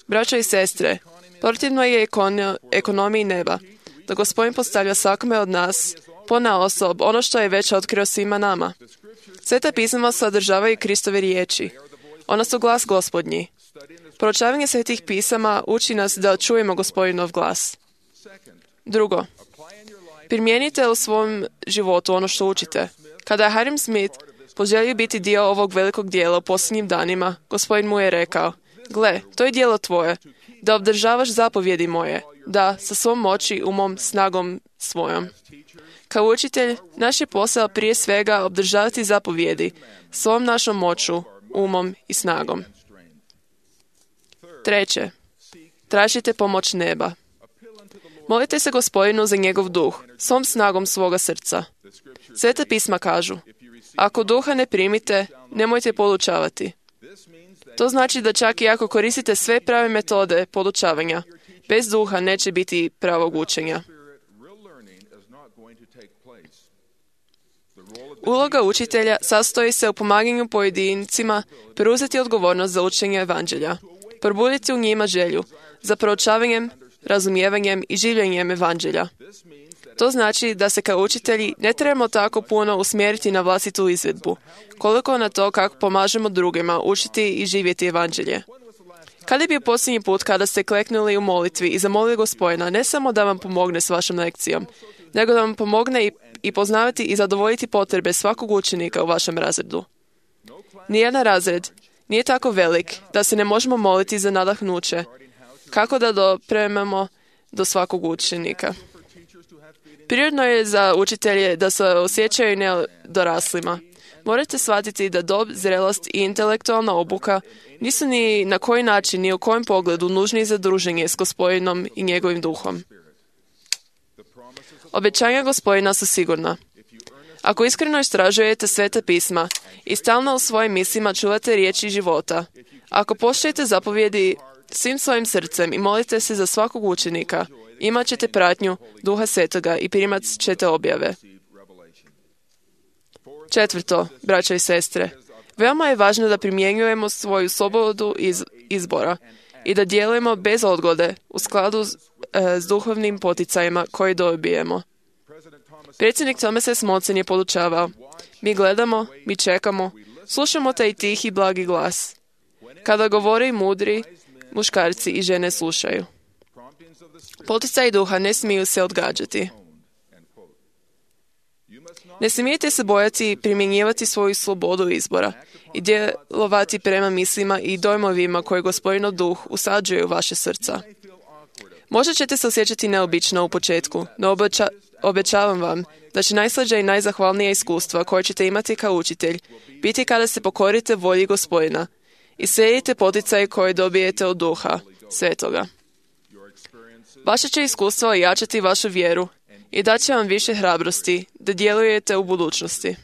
Braćo i sestre, protivno je ekono, ekonomiji neba, da Gospodin postavlja svakome od nas, ponaosob, ono što je već otkrio svima nama. Sveta pisma sadržavaju Kristove riječi. Ona su glas Gospodnji. Proučavanje svetih pisama uči nas da čujemo Gospodinov glas. Drugo, primijenite u svom životu ono što učite. Kada je Hiram Smith poželio biti dio ovog velikog dijela u posljednjim danima, Gospodin mu je rekao, gle, to je dijelo tvoje, da obdržavaš zapovjedi moje, da sa svom moći, umom, snagom svojom. Kao učitelj, naš je posao prije svega obdržavati zapovjedi svom našom moću, umom i snagom. Treće, tražite pomoć neba. Molite se Gospodinu za njegov duh, svom snagom svoga srca. Sveta pisma kažu, ako duha ne primite, nemojte podučavati. To znači da čak i ako koristite sve prave metode podučavanja, bez duha neće biti pravog učenja. Uloga učitelja sastoji se u pomaganju pojedincima preuzeti odgovornost za učenje evanđelja, probuditi u njima želju za proučavanjem, razumijevanjem i življenjem evanđelja. To znači da se kao učitelji ne trebamo tako puno usmjeriti na vlastitu izvedbu, koliko na to kako pomažemo drugima učiti i živjeti evanđelje. Kada je bio posljednji put kada ste kleknuli u molitvi i zamolili Gospodina ne samo da vam pomogne s vašom lekcijom, nego da vam pomogne i, i poznavati i zadovoljiti potrebe svakog učenika u vašem razredu? Nijedan razred nije tako velik da se ne možemo moliti za nadahnuće, kako da dopremamo do svakog učenika. Prirodno je za učitelje da se osjećaju nedoraslima. Morate shvatiti da dob, zrelost i intelektualna obuka nisu ni na koji način ni u kojem pogledu nužni za druženje s Gospodinom i njegovim duhom. Obećanja Gospodina su sigurna. Ako iskreno istražujete sveta pisma i stalno u svojim mislima čuvate riječi života, ako poštujete zapovjedi svim svojim srcem i molite se za svakog učenika, imat ćete pratnju Duha Svetoga i primat ćete objave. Četvrto, braćo i sestre, veoma je važno da primjenjujemo svoju slobodu iz izbora i da djelujemo bez odgode u skladu s, e, s duhovnim poticajima koje dobijemo. Predsjednik Thomas S. Monson je podučavao, mi gledamo, mi čekamo, slušamo taj tihi blagi glas. Kada govore i mudri, muškarci i žene slušaju. Poticaji duha ne smiju se odgađati. Ne smijete se bojati primjenjivati svoju slobodu izbora i djelovati prema mislima i dojmovima koje Gospodinov duh usađuje u vaše srca. Možda ćete se osjećati neobično u početku, no obeća, obećavam vam da će najslađa i najzahvalnija iskustva koje ćete imati kao učitelj biti kada se pokorite volji Gospodina i slijedite poticaje koje dobijete od Duha Svetoga. Vaše će iskustvo ojačati vašu vjeru i daće vam više hrabrosti da djelujete u budućnosti.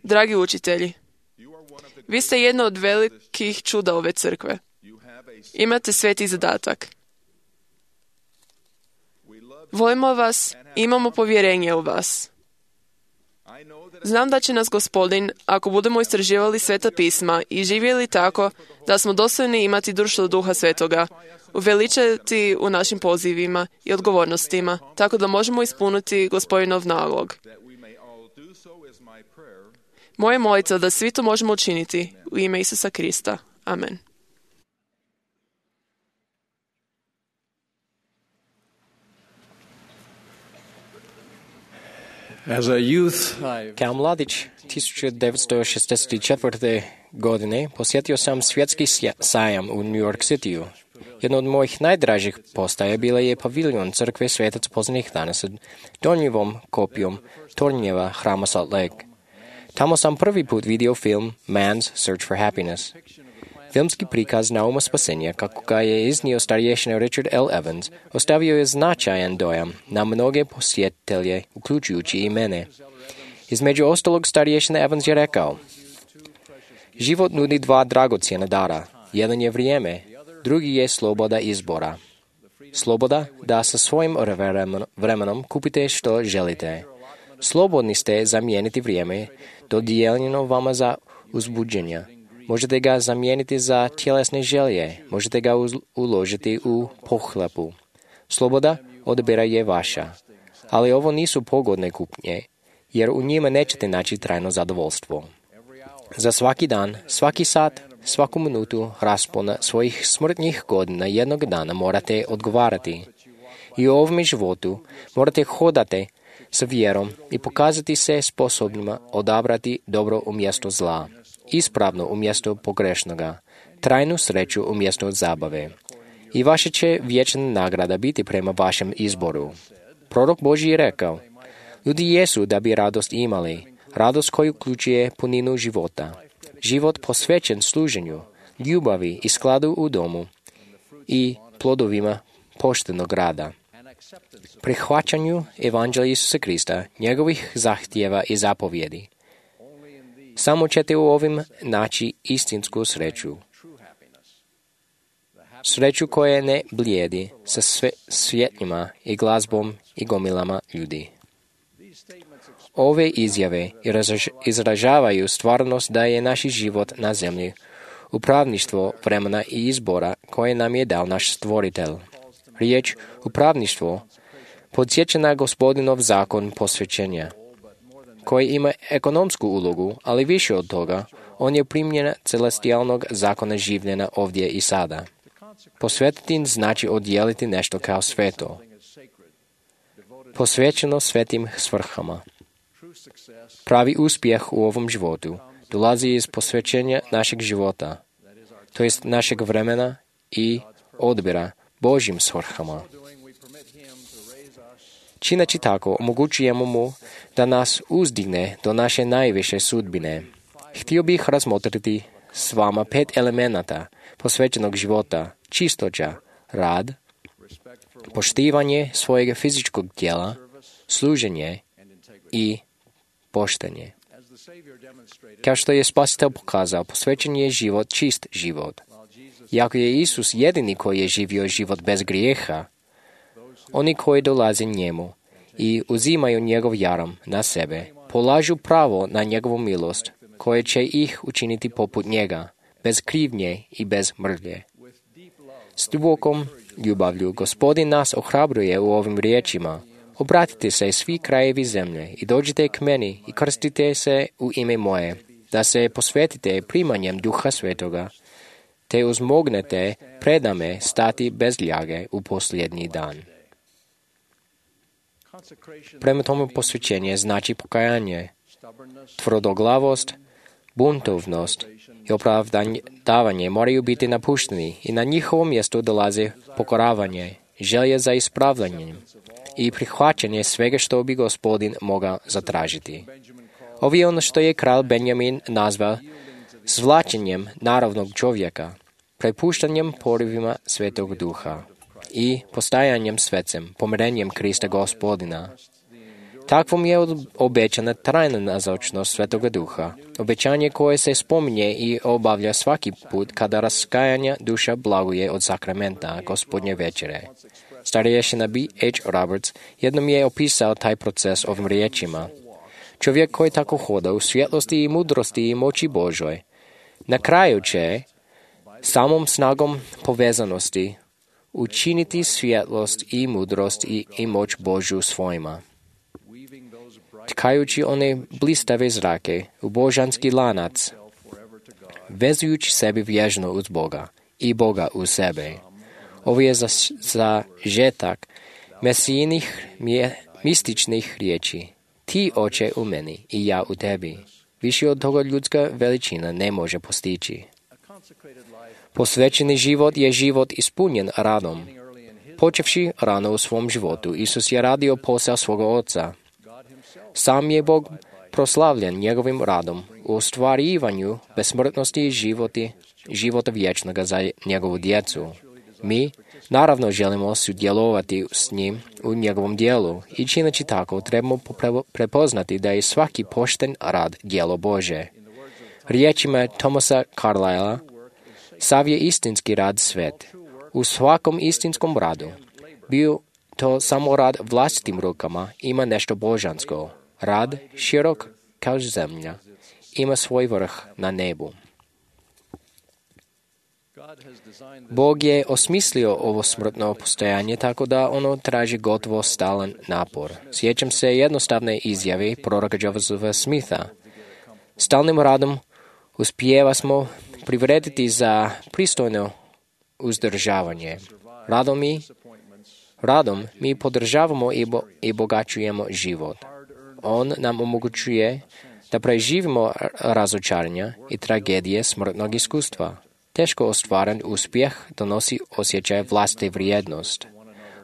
Dragi učitelji, vi ste jedno od velikih čuda ove crkve. Imate sveti zadatak. Volimo vas, imamo povjerenje u vas. Znam da će nas Gospodin, ako budemo istraživali sveta pisma i živjeli tako da smo dostojni imati društvo Duha Svetoga, uveličati u našim pozivima i odgovornostima, tako da možemo ispuniti Gospodinov nalog. Moje molitva da svi to možemo učiniti u ime Isusa Krista. Amen. As a youth, I Kao mladić tisuću devetsto šezdeset četvrte. godine posjetio sam svjetski sajam u New York Cityu. Jedno od mojih najdražih postaja bila je paviljon crkve Svetac poznanih dana sa donjivom kopijom tornjeva hrama Salt Lake. Tamo sam prvi put vidio film Man's Search for Happiness. Filmski prikaz nauma spasenja, kako ga je iznio starješina Richard L. Evans, ostavio je značajan dojam na mnoge posjetitelje, uključujući i mene. Između ostalog starješina Evans je rekao: život nudi dva dragocjena dara. Jedan je vrijeme, drugi je sloboda izbora. Sloboda da sa svojim vremenom kupite što želite. Slobodni ste zamijeniti vrijeme dodijeljeno vama za uzbuđenja. Možete ga zamijeniti za tjelesne želje. Možete ga uložiti u pohlepu. Sloboda odabira je vaša. Ali ovo nisu pogodne kupnje, jer u njima nećete naći trajno zadovoljstvo. Za svaki dan, svaki sat, svaku minutu raspona svojih smrtnih godina jednog dana morate odgovarati. I u ovom životu morate hodati sa vjerom i pokazati se sposobnima odabrati dobro umjesto zla, ispravno umjesto pogrešnoga, trajnu sreću umjesto zabave. I vaša će vječna nagrada biti prema vašem izboru. Prorok Božji je rekao: ljudi jesu da bi radost imali, radost koju uključuje puninu života, život posvećen služenju, ljubavi i skladu u domu i plodovima poštenog rada, prihvaćanju evanđelja Isusa Krista, njegovih zahtjeva i zapovjedi. Samo ćete u ovim naći istinsku sreću. Sreću koja ne blijedi sa sve svjetljima i glazbom i gomilama ljudi. Ove izjave izražavaju stvarnost da je naš život na zemlji upravništvo vremena i izbora koje nam je dao naš stvoritelj. Riječ upravništvo podsjeća na Gospodinov zakon posvećenja, koji ima ekonomsku ulogu, ali više od toga, on je primjena celestijalnog zakona življenja ovdje i sada. Posvetiti znači odjeliti nešto kao sveto, posvećeno svetim svrhama. Pravi uspjeh u ovom životu dolazi iz posvećenja našeg života, to jest našeg vremena i odbira Božjim svrhama. Čineći tako, omogućujemo mu da nas uzdigne do naše najviše sudbine. Htio bih razmotriti s vama pet elemenata posvećenog života: čistoća, rad, poštivanje svojeg fizičkog tijela, služenje i poštenje. Kao što je Spasitelj pokazao, posvećen je život čist život. Iako je Isus jedini koji je živio život bez grijeha, oni koji dolaze njemu i uzimaju njegov jarom na sebe, polažu pravo na njegovu milost, koje će ih učiniti poput njega, bez krivnje i bez mrlje. S dubokom ljubavlju Gospodin nas ohrabruje u ovim riječima: obratite se svi krajevi zemlje i dođite k meni i krstite se u ime moje, da se posvetite primanjem Duha Svetoga, te uzmognete predame stati bez ljage u posljednji dan. Prema tome posvećenje znači pokajanje, tvrdoglavost, buntovnost i opravdavanje moraju biti napušteni i na njihovo mjesto dolaze pokoravanje, želje za ispravljanjem i prihvaćanje svega što bi Gospodin mogao zatražiti. Ovo je ono što je kralj Benjamin nazvao zvlačenjem naravnog čovjeka, prepuštanjem porivima Svetog Duha i postajanjem svecem, pomirenjem Krista Gospodina. Takvom je obećana trajna nazočnost Svetoga Duha, obećanje koje se spominje i obavlja svaki put kada raskajanja duša blaguje od sakramenta Gospodnje večere. Starješina B H Roberts jednom je opisao taj proces ovim riječima: čovjek koji tako hoda u svjetlosti i mudrosti i moći Božoj, na kraju će samom snagom povezanosti učiniti svjetlost i mudrost i, i moć Božju svojima. Tkajući one blistave zrake u božanski lanac, vezujući sebi vježno uz Boga i Boga uz sebe. Ovo je za, za žetak mesijinih mističnih riječi. Ti, Oče, u meni i ja u tebi. Više od toga ljudska veličina ne može postići. Posvećeni život je život ispunjen radom. Počevši rano u svom životu, Isus je radio posao svoga Oca. Sam je Bog proslavljen njegovim radom u ostvarivanju besmrtnosti i životi, života vječnoga za njegovu djecu. Mi, naravno, želimo sudjelovati s njim u njegovom dijelu i čineći tako trebamo prepoznati da je svaki pošten rad djelo Bože. Riječima Thomasa Carlyle'a, sav je istinski rad svet. U svakom istinskom radu, bio to samo rad vlastitim rukama, ima nešto božansko. Rad, širok kao zemlja, ima svoj vrh na nebu. Bog je osmislio ovo smrtno postojanje tako da ono traži gotovo stalan napor. Sjećam se jednostavne izjave proroka Josefa Smitha. Stalnim radom uspijeva smo privrediti za pristojno uzdržavanje. Radom mi, radom mi podržavamo i, bo, i bogaćujemo život. On nam omogućuje da preživimo razočaranja i tragedije smrtnog iskustva. Teško ostvaren uspjeh donosi osjećaj vlastite vrijednost.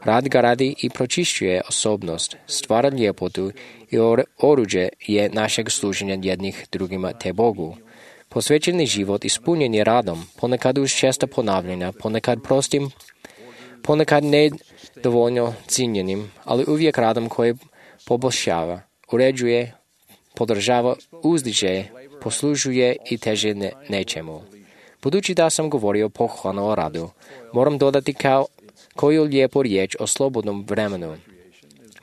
Rad ga radi i pročišćuje osobnost, stvara ljepotu i oruđe je našeg služenja jednih drugima te Bogu. Posvećeni život ispunjen je radom, ponekad uz česta ponavljanja, ponekad prostim, ponekad nedovoljno cijenjenim, ali uvijek radom koji poboljšava, uređuje, podržava, uzdiže, poslužuje i teže ne, nečemu. Budući da sam govorio pohvalno o radu, moram dodati kao koju lijepu riječ o slobodnom vremenu.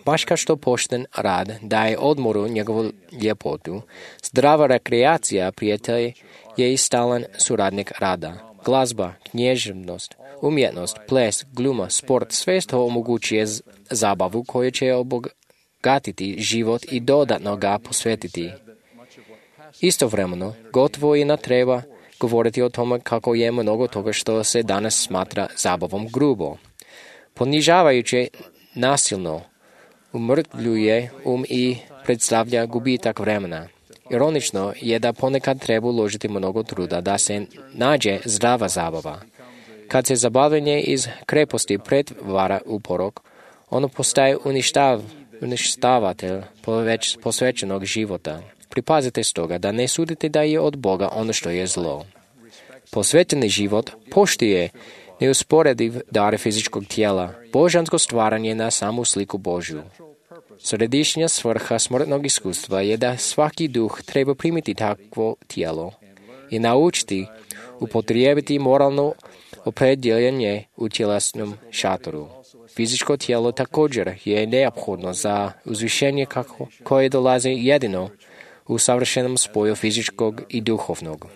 Baš kao što pošten rad daje odmoru njegovu ljepotu, zdrava rekreacija prijatelj je i stalan suradnik rada. Glazba, književnost, umjetnost, ples, gluma, sport, sve to omogućuje zabavu koju će obogatiti život i dodatno ga posvetiti. Istovremeno, gotovo i ne treba govoriti o tome kako je mnogo toga što se danas smatra zabavom grubo. Ponižavajuće, nasilno, umrtvljuje um i predstavlja gubitak vremena. Ironično je da ponekad treba uložiti mnogo truda da se nađe zdrava zabava. Kad se zabavljanje iz kreposti pretvara u porok, ono postaje uništav, uništavatelj posvećenog života. Pripazite stoga da ne sudite da je od Boga ono što je zlo. Posvećeni život poštuje neusporediv dar fizičkog tijela, božansko stvaranje na samu sliku Božju. Središnja svrha smrtnog iskustva je da svaki duh treba primiti takvo tijelo i naučiti upotrijebiti moralno opredjeljenje u tjelesnom šatoru. Fizičko tijelo također je neophodno za uzvišenje kako, koje dolazi jedino u savršenom spoju fizičkog i duhovnog.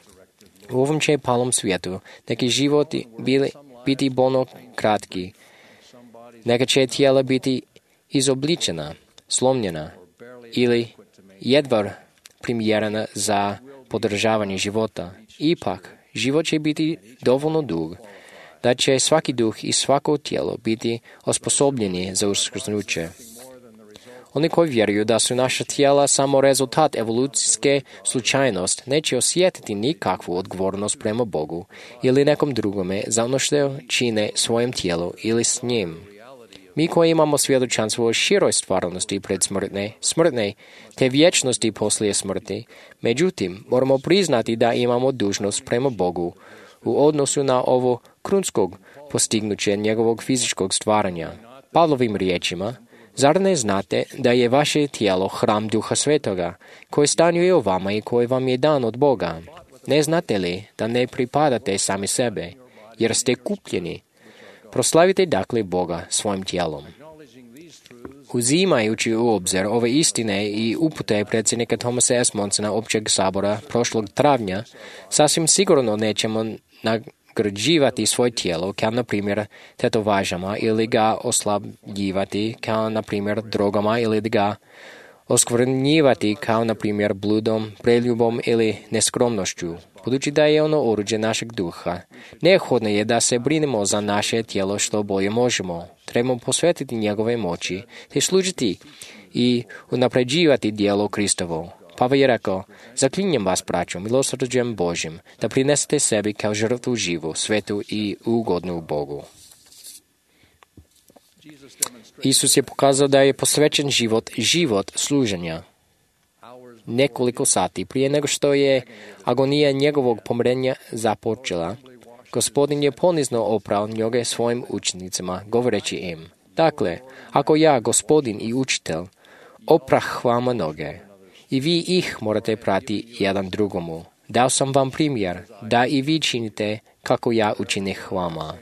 U ovom će palom svijetu neki životi bili, biti bolno kratki, neka će tijela biti izobličena, slomljena ili jedva primjerena za podržavanje života. Ipak, život će biti dovoljno dug, da će svaki duh i svako tijelo biti osposobljeni za uskrsnuće. Oni koji vjeruju da su naša tijela samo rezultat evolucijske slučajnost, neće osjetiti nikakvu odgovornost prema Bogu ili nekom drugome za ono što čine svojem tijelu ili s njim. Mi koji imamo svjedočanstvo o široj stvarnosti predsmrtne, smrtne, te vječnosti poslije smrti, međutim, moramo priznati da imamo dužnost prema Bogu u odnosu na ovo krunskog postignuće njegovog fizičkog stvaranja. Pavlovim riječima, zar ne znate da je vaše tijelo hram Duha Svetoga, koji stanuje u vama i koji vam je dan od Boga? Ne znate li da ne pripadate sami sebe, jer ste kupljeni? Proslavite dakle Boga svojim tijelom. Uzimajući u obzir ove istine i upute predsjednika Thomasa S. Monsona Općeg sabora prošlog travnja, sasvim sigurno nećemo nagrađivati svoje tijelo kao na primjer tetovažama ili ga oslabljivati kao na primjer drogama ili ga oskvrnjivati kao na primjer bludom, preljubom ili neskromnošću. Budući da je ono oruđe našeg duha, neophodno je da se brinemo za naše tijelo što bolje možemo. Trebamo posvetiti njegove moći, te služiti i unapređivati djelo Kristovo. Pavel je rekao, zaklinjem vas, braćo, milosrđem Božim, da prinesete sebi kao žrtvu živu, svetu i ugodnu Bogu. Isus je pokazao da je posvećen život, život služenja. Nekoliko sati prije nego što je agonija njegovog pomrenja započela, Gospodin je ponizno oprao noge svojim učenicima, govoreći im, dakle, ako ja, Gospodin i učitelj, oprah vama noge, i vi ih morate prati jedan drugomu. Dao sam vam primjer, da i vi činite kako ja učinih vama.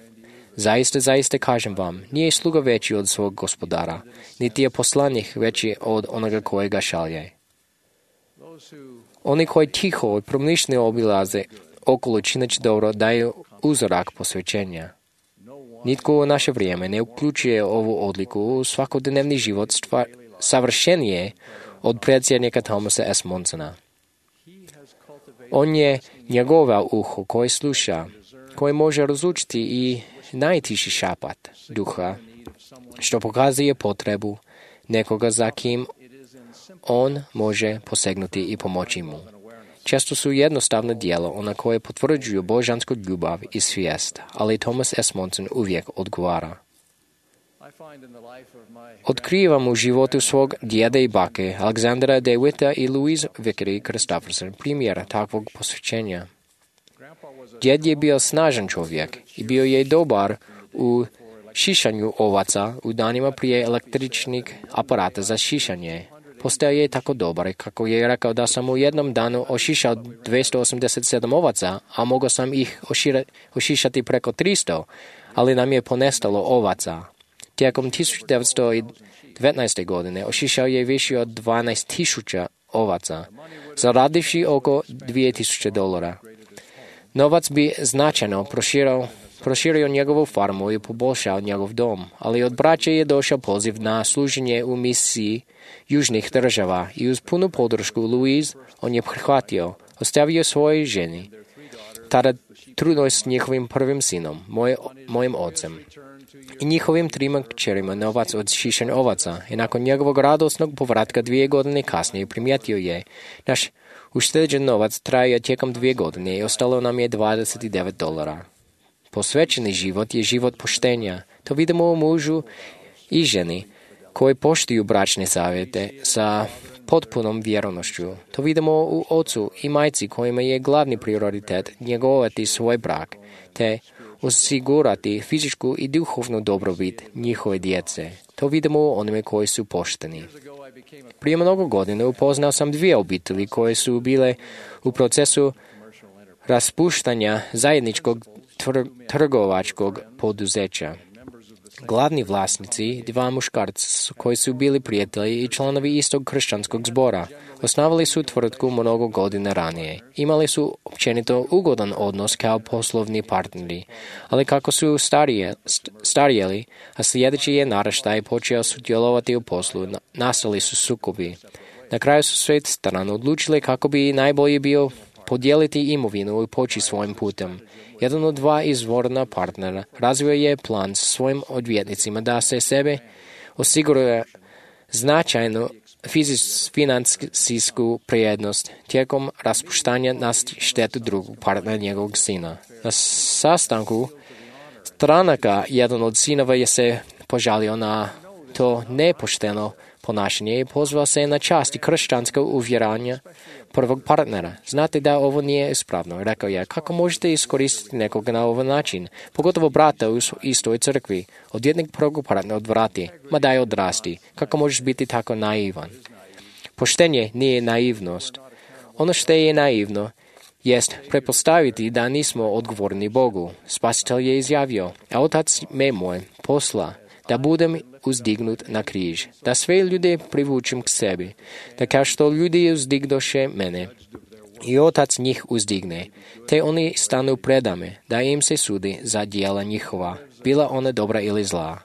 Zaista, zaista kažem vam, nije sluga veći od svog gospodara, niti je poslanik veći od onoga koje ga šalje. Oni koji tiho i promišljeno obilaze okolo čineći dobro daju uzorak posvećenja. Nitko u naše vrijeme ne uključuje ovu odliku u svakodnevni život stvar, savršenije od predsjednika Thomasa S. Monsona. On je njegova uho koje sluša, koje može razlučiti i najtiši šapat duha, što pokazuje potrebu nekoga za kim on može posegnuti i pomoći mu. Često su jednostavna djela ona koje potvrđuju božansku ljubav i svijest, ali Thomas S. Monson uvijek odgovara. Otkrivam u životu svog djeda i bake, Alexandra DeWitta i Louise Vickery Christopherson, primjer takvog posvećenja. Djed je bio snažan čovjek i bio je dobar u šišanju ovaca u danima prije električnih aparata za šišanje. Postao je tako dobar kako je rekao da sam u jednom danu ošišao dvjesto osamdeset sedam ovaca, a mogao sam ih ošira, ošišati preko tristo, ali nam je ponestalo ovaca. Tijekom tisuću devetsto devetnaeste. godine ošišao je više od dvanaest tisuća ovaca, zaradivši oko dvije tisuće dolara. Novac bi značajno proširio, proširio njegovu farmu i poboljšao njegov dom, ali od braće je došao poziv na služenje u misiji južnih država i uz punu podršku Louise on je prihvatio, ostavio svojoj ženi, tada trudnoj s njihovim prvim sinom, moj, mojim ocem, i njihovim trima kćerima novac od šišanja ovaca i nakon njegovog radosnog povratka dvije godine kasnije primijetio je, naš ušteđen novac trajao tijekom dvije godine i ostalo nam je dvadeset devet dolara. Posvećeni život je život poštenja. To vidimo u mužu i ženi koji poštuju bračne savjete sa potpunom vjernošću. To vidimo u ocu i majci kojima je glavni prioritet njegovati svoj brak, te osigurati fizičku i duhovnu dobrobit njihove djece. To vidimo u onime koji su pošteni. Prije mnogo godina upoznao sam dvije obitelji koje su bile u procesu raspuštanja zajedničkog trgovačkog poduzeća. Glavni vlasnici, dva muškarca koji su bili prijatelji i članovi istog kršćanskog zbora, osnovali su tvrtku mnogo godina ranije. Imali su općenito ugodan odnos kao poslovni partneri, ali kako su starije, starijeli, a sljedeći je naraštaj počeo sudjelovati u poslu, nastali su sukobi. Na kraju su sve strane odlučili kako bi najbolje bio podijeliti imovinu i poći svojim putem. Jedan od dva izvorna partnera razvio je plan s svojim odvjetnicima da se sebe osiguruje značajnu financijsku prijednost tijekom raspuštanja na štetu drugog partnera njegovog sina. Na sastanku stranaka jedan od sinova je se požalio na to nepošteno ponašanje i pozvao se na čast i kršćansko uvjerenje prvog partnera. Znate da ovo nije ispravno. Rekao je, kako možete iskoristiti nekoga na ovaj način, pogotovo brata u istoj crkvi. Odvjetnik prvog partnera odvrati, ma daj odrasti. Kako možeš biti tako naivan? Poštenje nije naivnost. Ono što je naivno jest prepostaviti da nismo odgovorni Bogu. Spasitelj je izjavio, a otac me moj posla da budem uzdignut na križ, da sve ljude privučem k sebi, da kao što ljudi uzdigdoše mene i otac njih uzdigne, te oni stanu predame, da im se sudi za djela njihova, bila ona dobra ili zla.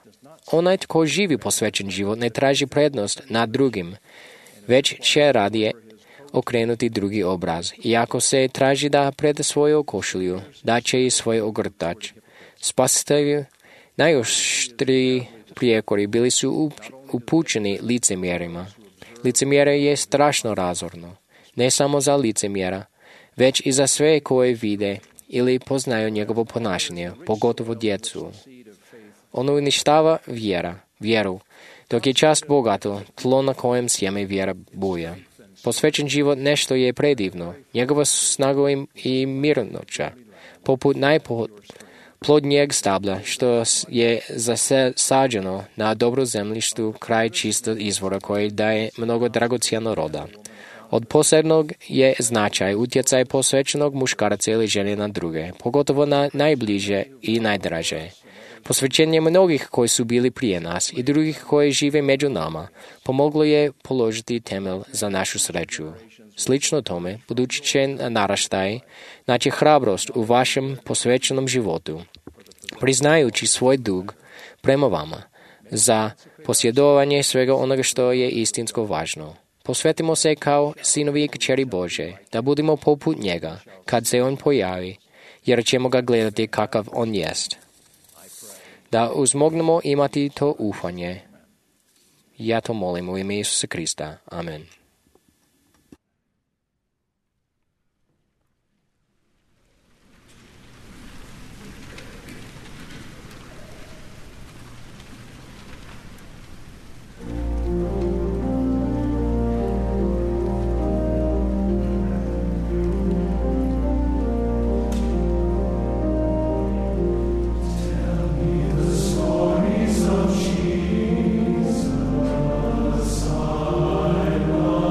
Onaj tko živi posvećen život ne traži prednost nad drugim, već će radije okrenuti drugi obraz. I ako se traži da preda svoju košulju, da će i svoj ogrtač. Spasitelju najoštriji prijekori bili su upućeni licemjerima. Licemjerje je strašno razorno, ne samo za licemjera, već i za sve koje vide ili poznaju njegovo ponašanje, pogotovo djecu. Ono uništava vjera, vjeru, dok je čast bogato, tlo na kojem sjeme vjera buja. Posvećen život nešto je predivno, njegova snaga i mirnoća, poput najplodnijeg stabla, što je zasađeno na dobro zemljištu kraj čistog izvora koji daje mnogo dragocjeno roda. Od posebnog je značaj utjecaj posvećenog muškarca ili žene na druge, pogotovo na najbliže i najdraže. Posvećenje mnogih koji su bili prije nas i drugih koji žive među nama pomoglo je položiti temelj za našu sreću. Slično tome, budući će naraštaj naći hrabrost u vašem posvećenom životu, priznajući svoj dug prema vama za posjedovanje svega onoga što je istinsko važno. Posvetimo se kao sinovi i kćeri Bože, da budemo poput njega kad se on pojavi, jer ćemo ga gledati kakav on jest. Da uzmognemo imati to ufanje. Ja to molim u ime Isusa Krista. Amen. Stories of Jesus, I love.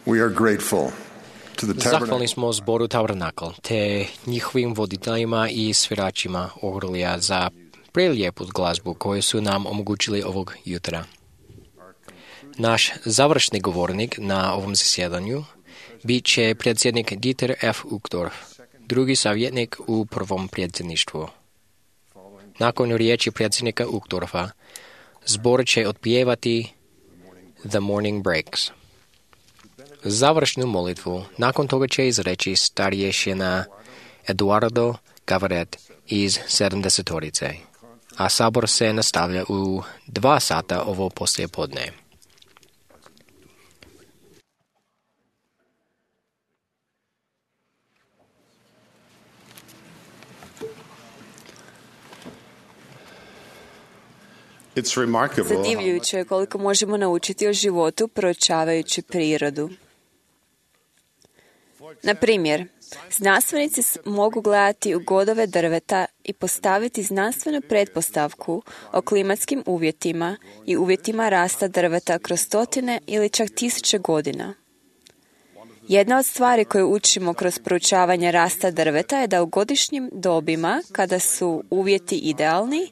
We are grateful to the Zahvalni tabernacle smo zboru Tabernakl, te njihovim voditeljima i sviračima orglija za prelijepu glazbu koju su nam omogućili ovog jutra. Naš završni govornik na ovom zasjedanju bit će predsjednik Dieter F. Uchtdorf, drugi savjetnik u prvom predsjedništvu. Nakon riječi predsjednika Uchtdorfa, zbor će otpjevati The Morning Breaks. Završnu molitvu nakon toga će izreći starješina Eduardo Gavaret iz sedamdesetorice, a sabor se nastavlja u dva sata ovo poslije podne. Zadivljujuće je koliko možemo naučiti o životu proučavajući prirodu. Na primjer, znanstvenici mogu gledati u godove drveta i postaviti znanstvenu pretpostavku o klimatskim uvjetima i uvjetima rasta drveta kroz stotine ili čak tisuće godina. Jedna od stvari koje učimo kroz proučavanje rasta drveta je da u godišnjim dobima, kada su uvjeti idealni,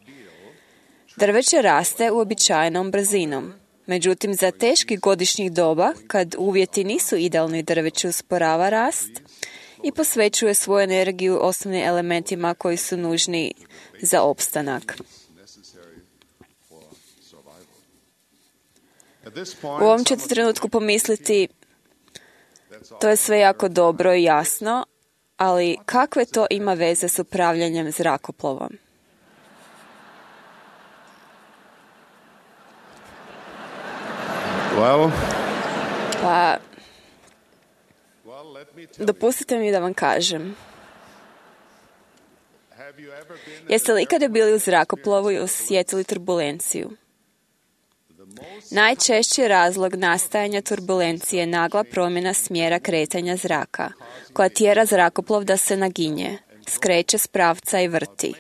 drveće raste uobičajenom brzinom. Međutim, za teških godišnjih doba, kad uvjeti nisu idealni, drveće usporava rast i posvećuje svoju energiju osnovnim elementima koji su nužni za opstanak. U ovom ćete trenutku pomisliti, to je sve jako dobro i jasno, ali kakve to ima veze s upravljanjem zrakoplovom? Well, Pa, dopustite mi da vam kažem. Jeste li ikada bili u zrakoplovu i osjetili turbulenciju? Najčešći razlog nastajanja turbulencije je nagla promjena smjera kretanja zraka, koja tjera zrakoplov da se naginje, skreće s pravca i vrti.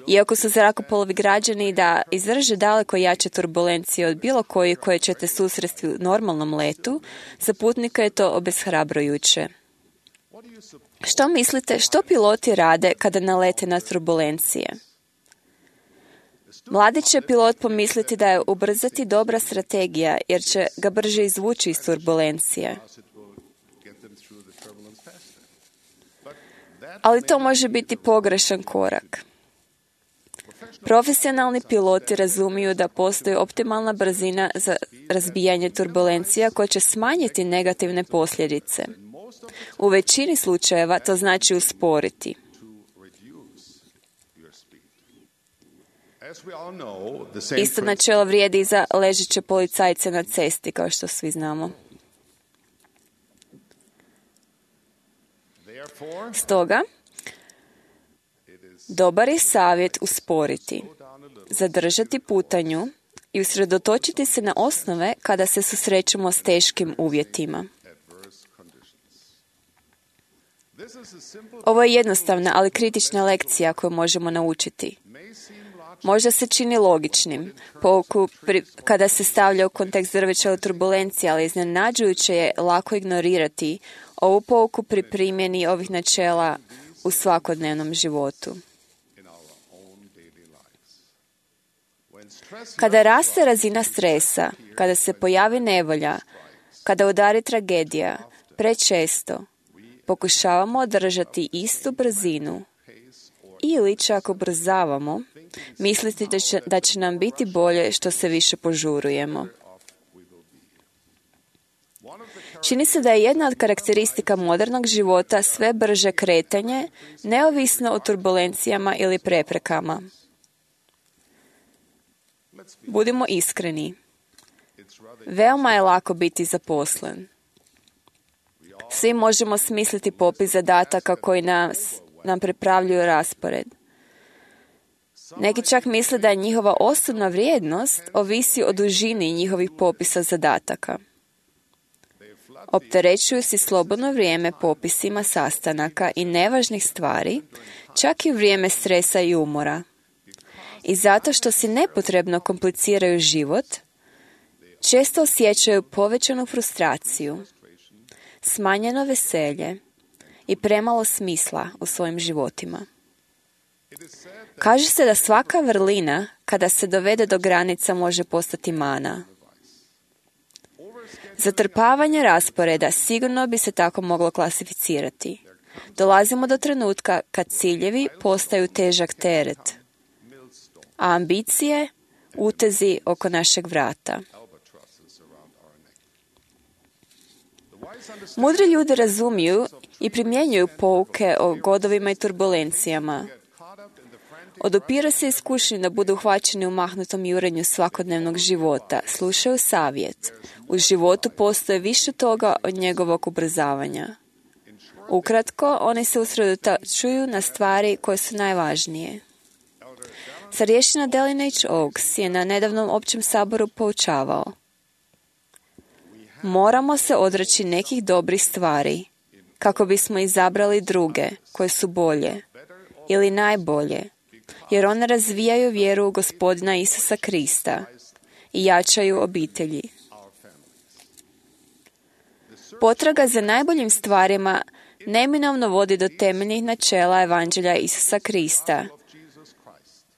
Iako su zrakoplovi građeni da izdrže daleko jače turbulencije od bilo koje koje ćete susresti u normalnom letu, za putnika je to obeshrabrujuće. Što mislite, što piloti rade kada nalete na turbulencije? Mladi će pilot pomisliti da je ubrzati dobra strategija, jer će ga brže izvući iz turbulencije. Ali to može biti pogrešan korak. Profesionalni piloti razumiju da postoji optimalna brzina za razbijanje turbulencija koja će smanjiti negativne posljedice. U većini slučajeva to znači usporiti. Isto načelo vrijedi i za ležeće policajce na cesti, kao što svi znamo. Stoga, dobar je savjet usporiti, zadržati putanju i usredotočiti se na osnove kada se susrećemo s teškim uvjetima. Ovo je jednostavna, ali kritična lekcija koju možemo naučiti. Možda se čini logičnim, pouku pri, kada se stavlja u kontekst drveća turbulencije, ali iznenađujuće je lako ignorirati ovu pouku pri primjeni ovih načela u svakodnevnom životu. Kada raste razina stresa, kada se pojavi nevolja, kada udari tragedija, prečesto pokušavamo održati istu brzinu ili čak ubrzavamo, misliti da će, da će nam biti bolje što se više požurujemo. Čini se da je jedna od karakteristika modernog života sve brže kretanje, neovisno o turbulencijama ili preprekama. Budimo iskreni. Veoma je lako biti zaposlen. Svi možemo smisliti popis zadataka koji nas, nam pripravljuju raspored. Neki čak misle da je njihova osobna vrijednost ovisi o dužini njihovih popisa zadataka. Opterećuju si slobodno vrijeme popisima sastanaka i nevažnih stvari, čak i vrijeme stresa i umora. I zato što si nepotrebno kompliciraju život, često osjećaju povećanu frustraciju, smanjeno veselje i premalo smisla u svojim životima. Kaže se da svaka vrlina, kada se dovede do granica, može postati mana. Zatrpavanje rasporeda sigurno bi se tako moglo klasificirati. Dolazimo do trenutka kad ciljevi postaju težak teret, a ambicije utezi oko našeg vrata. Mudri ljudi razumiju i primjenjuju pouke o godovima i turbulencijama. Odupira se iskušnji da budu uhvaćeni u mahnutom jurenju svakodnevnog života, slušaju savjet. U životu postoje više toga od njegovog ubrzavanja. Ukratko, oni se usredotočuju na stvari koje su najvažnije. Starješina Dallin H. Oaks je na nedavnom općem saboru poučavao: moramo se odreći nekih dobrih stvari kako bismo izabrali druge koje su bolje ili najbolje, jer one razvijaju vjeru u Gospodina Isusa Krista i jačaju obitelji. Potraga za najboljim stvarima neminovno vodi do temeljnih načela Evanđelja Isusa Krista,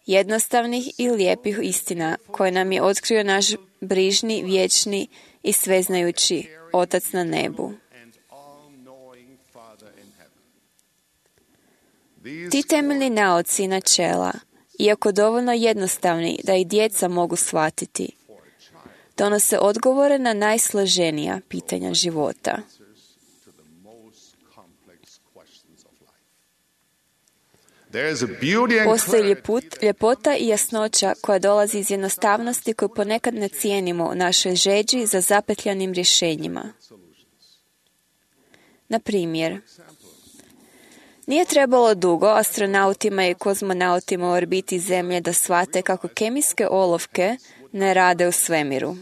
jednostavnih i lijepih istina koje nam je otkrio naš brižni, vječni i sveznajući Otac na nebu. Ti temeljni nauci i načela, iako dovoljno jednostavni da i djeca mogu shvatiti, donose odgovore na najsloženija pitanja života. Postoji ljeput, ljepota i jasnoća koja dolazi iz jednostavnosti koju ponekad ne cijenimo u našoj žeđi za zapetljanim rješenjima. Na primjer, nije trebalo dugo astronautima i kozmonautima u orbiti Zemlje da shvate kako kemijske olovke ne rade u svemiru.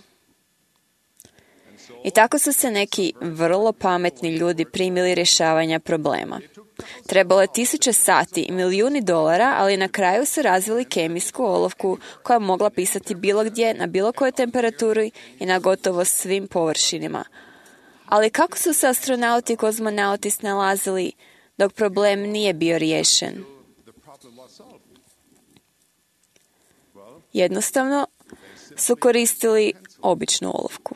I tako su se neki vrlo pametni ljudi primili rješavanja problema. Trebalo je tisuće sati i milijuni dolara, ali na kraju su razvili kemijsku olovku koja je mogla pisati bilo gdje, na bilo kojoj temperaturi i na gotovo svim površinama. Ali kako su se astronauti i kozmonauti snalazili dok problem nije bio riješen? Jednostavno su koristili običnu olovku.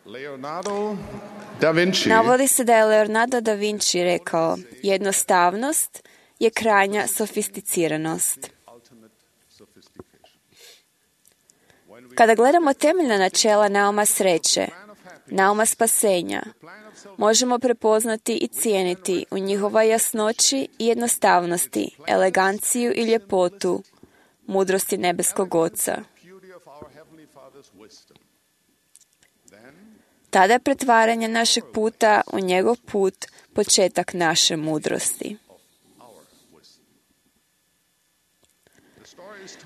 Leonardo da Vinci Navodi se da je Leonardo da Vinci rekao: jednostavnost je krajnja sofisticiranost. Kada gledamo temeljna načela nauma sreće, nauma spasenja, možemo prepoznati i cijeniti u njihovoj jasnoći i jednostavnosti, eleganciju i ljepotu, mudrosti nebeskog Oca. Tada je pretvaranje našeg puta u njegov put početak naše mudrosti.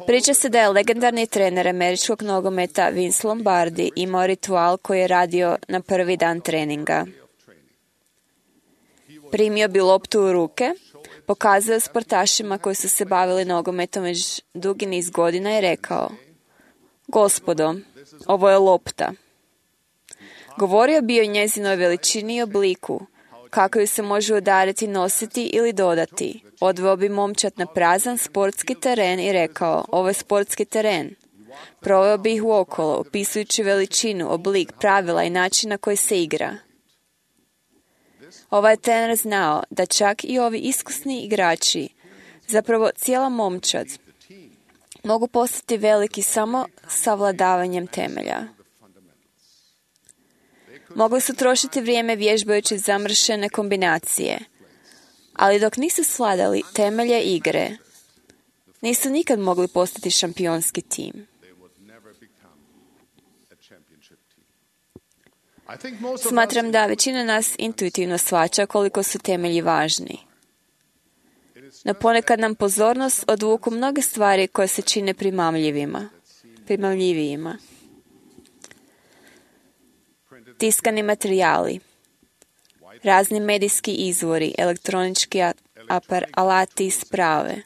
Priča se da je legendarni trener američkog nogometa Vince Lombardi imao ritual koji je radio na prvi dan treninga. Primio bi loptu u ruke, pokazao sportašima koji su se bavili nogometom već dugi niz godina i rekao: gospodo, ovo je lopta. Govorio bi o njezinoj veličini i obliku, kako ju se može udariti, nositi ili dodati. Odveo bi momčad na prazan sportski teren i rekao: ovo je sportski teren. Proveo bi ih uokolo, opisujući veličinu, oblik, pravila i način na koji se igra. Ovaj trener znao da čak i ovi iskusni igrači, zapravo cijela momčad, mogu postati veliki samo savladavanjem temelja. Mogli su trošiti vrijeme vježbajući zamršene kombinacije, ali dok nisu svladali temelje igre, nisu nikad mogli postati šampionski tim. Smatram da većina nas intuitivno shvaća koliko su temelji važni. No ponekad nam pozornost odvuku mnoge stvari koje se čine primamljivima, primamljivijima. Tiskani materijali, razni medijski izvori, elektronički apar, alati i sprave.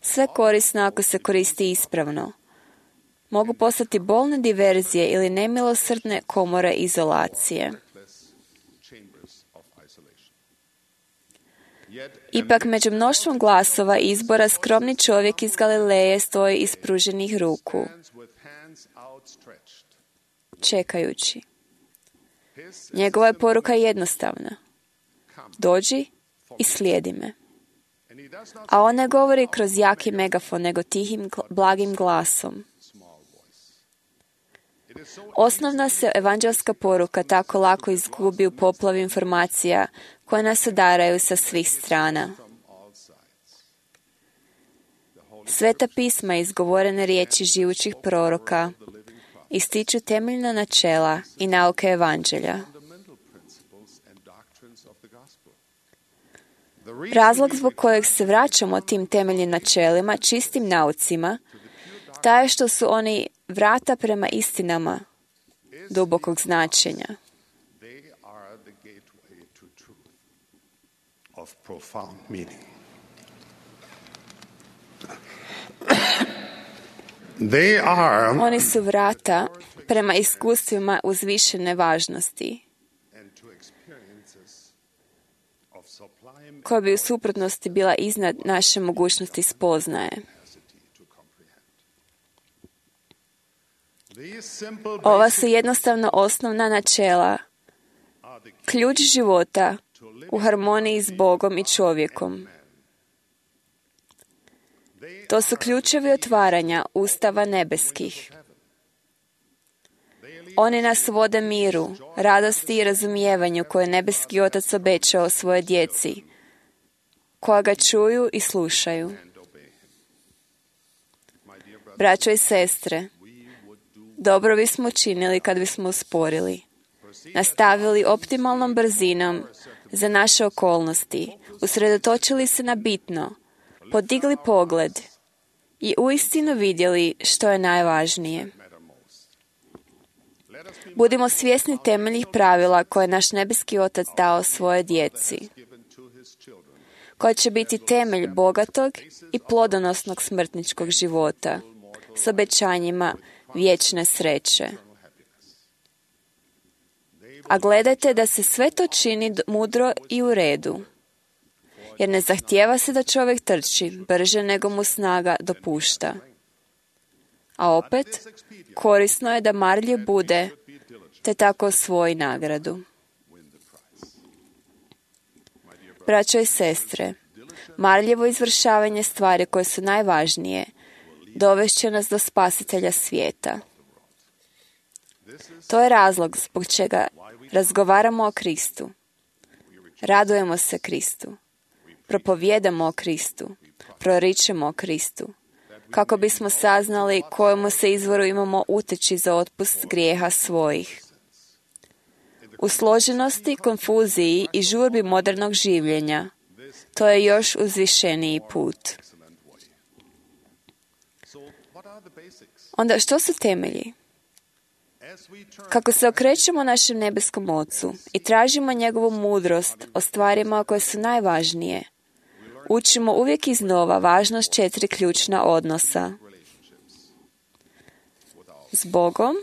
Sve korisno ako se koristi ispravno. mogu postati bolne diverzije ili nemilosrdne komore izolacije. Ipak među mnoštvom glasova izbora skromni čovjek iz Galileje stoji ispruženih ruku, čekajući. Njegova je poruka jednostavna. Dođi i slijedi me. A on ne govori kroz jaki megafon, nego tihim, blagim glasom. Osnovna se evanđelska poruka tako lako izgubi u poplavi informacija koje nas odaraju sa svih strana. Sveta pisma i izgovorene riječi živućih proroka ističu temeljna načela i nauke evanđelja. Razlog zbog kojeg se vraćamo tim temeljnim načelima, čistim naucima, taj je što su oni vrata prema istinama dubokog značenja. Oni su vrata prema iskustvima uzvišene važnosti, koja bi u suprotnosti bila iznad naše mogućnosti spoznaje. Ova su jednostavno osnovna načela, ključ života u harmoniji s Bogom i čovjekom. To su ključevi otvaranja ustava nebeskih. Oni nas vode miru, radosti i razumijevanju koje nebeski Otac obećao svoje djeci, koja ga čuju i slušaju. Braćo i sestre, dobro bismo učinili kad bismo usporili, nastavili optimalnom brzinom za naše okolnosti, usredotočili se na bitno, podigli pogled i uistinu vidjeli što je najvažnije. Budimo svjesni temeljnih pravila koje je naš nebeski Otac dao svoje djeci, koja će biti temelj bogatog i plodonosnog smrtničkog života s obećanjima vječne sreće. A gledajte da se sve to čini mudro i u redu, jer ne zahtijeva se da čovjek trči brže nego mu snaga dopušta. A opet, korisno je da marljiv bude, te tako osvoji nagradu. Braćo i sestre, marljivo izvršavanje stvari koje su najvažnije dovešće nas do Spasitelja svijeta. To je razlog zbog čega razgovaramo o Kristu, radujemo se Kristu, propovijedamo o Kristu, proričemo o Kristu, kako bismo saznali kojemu se izvoru imamo uteći za otpust grijeha svojih. U složenosti, konfuziji i žurbi modernog življenja, to je još uzvišeniji put. Onda što su temelji? Kako se okrećemo našem nebeskom Ocu i tražimo njegovu mudrost o stvarima koje su najvažnije, učimo uvijek iznova važnost četiri ključna odnosa. S Bogom,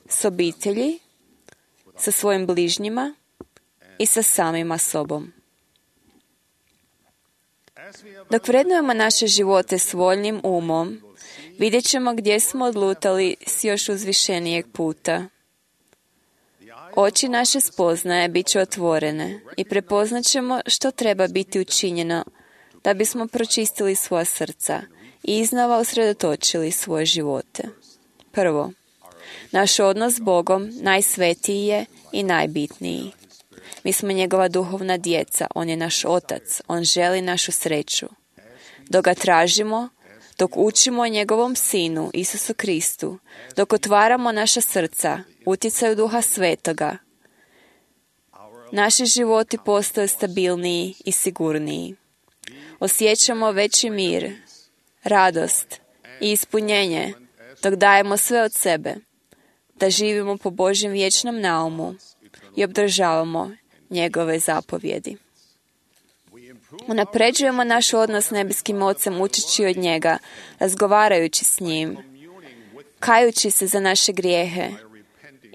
s obitelji, sa svojim bližnjima i sa samima sobom. Dok vrednujemo naše živote s voljnim umom, vidjet ćemo gdje smo odlutali s još uzvišenijeg puta. Oči naše spoznaje bit će otvorene i prepoznat ćemo što treba biti učinjeno da bismo pročistili svoja srca i iznova usredotočili svoje živote. Prvo, naš odnos s Bogom najsvetiji je i najbitniji. Mi smo njegova duhovna djeca, on je naš Otac, on želi našu sreću. Dok ga tražimo, dok učimo o njegovom Sinu, Isusu Kristu, dok otvaramo naša srca, utjecaju Duha Svetoga, naši životi postaju stabilniji i sigurniji. Osjećamo veći mir, radost i ispunjenje, dok dajemo sve od sebe, da živimo po Božjem vječnom naumu i obdržavamo njegove zapovjedi. Unapređujemo naš odnos s nebeskim Ocem učeći od njega, razgovarajući s njim, kajući se za naše grijehe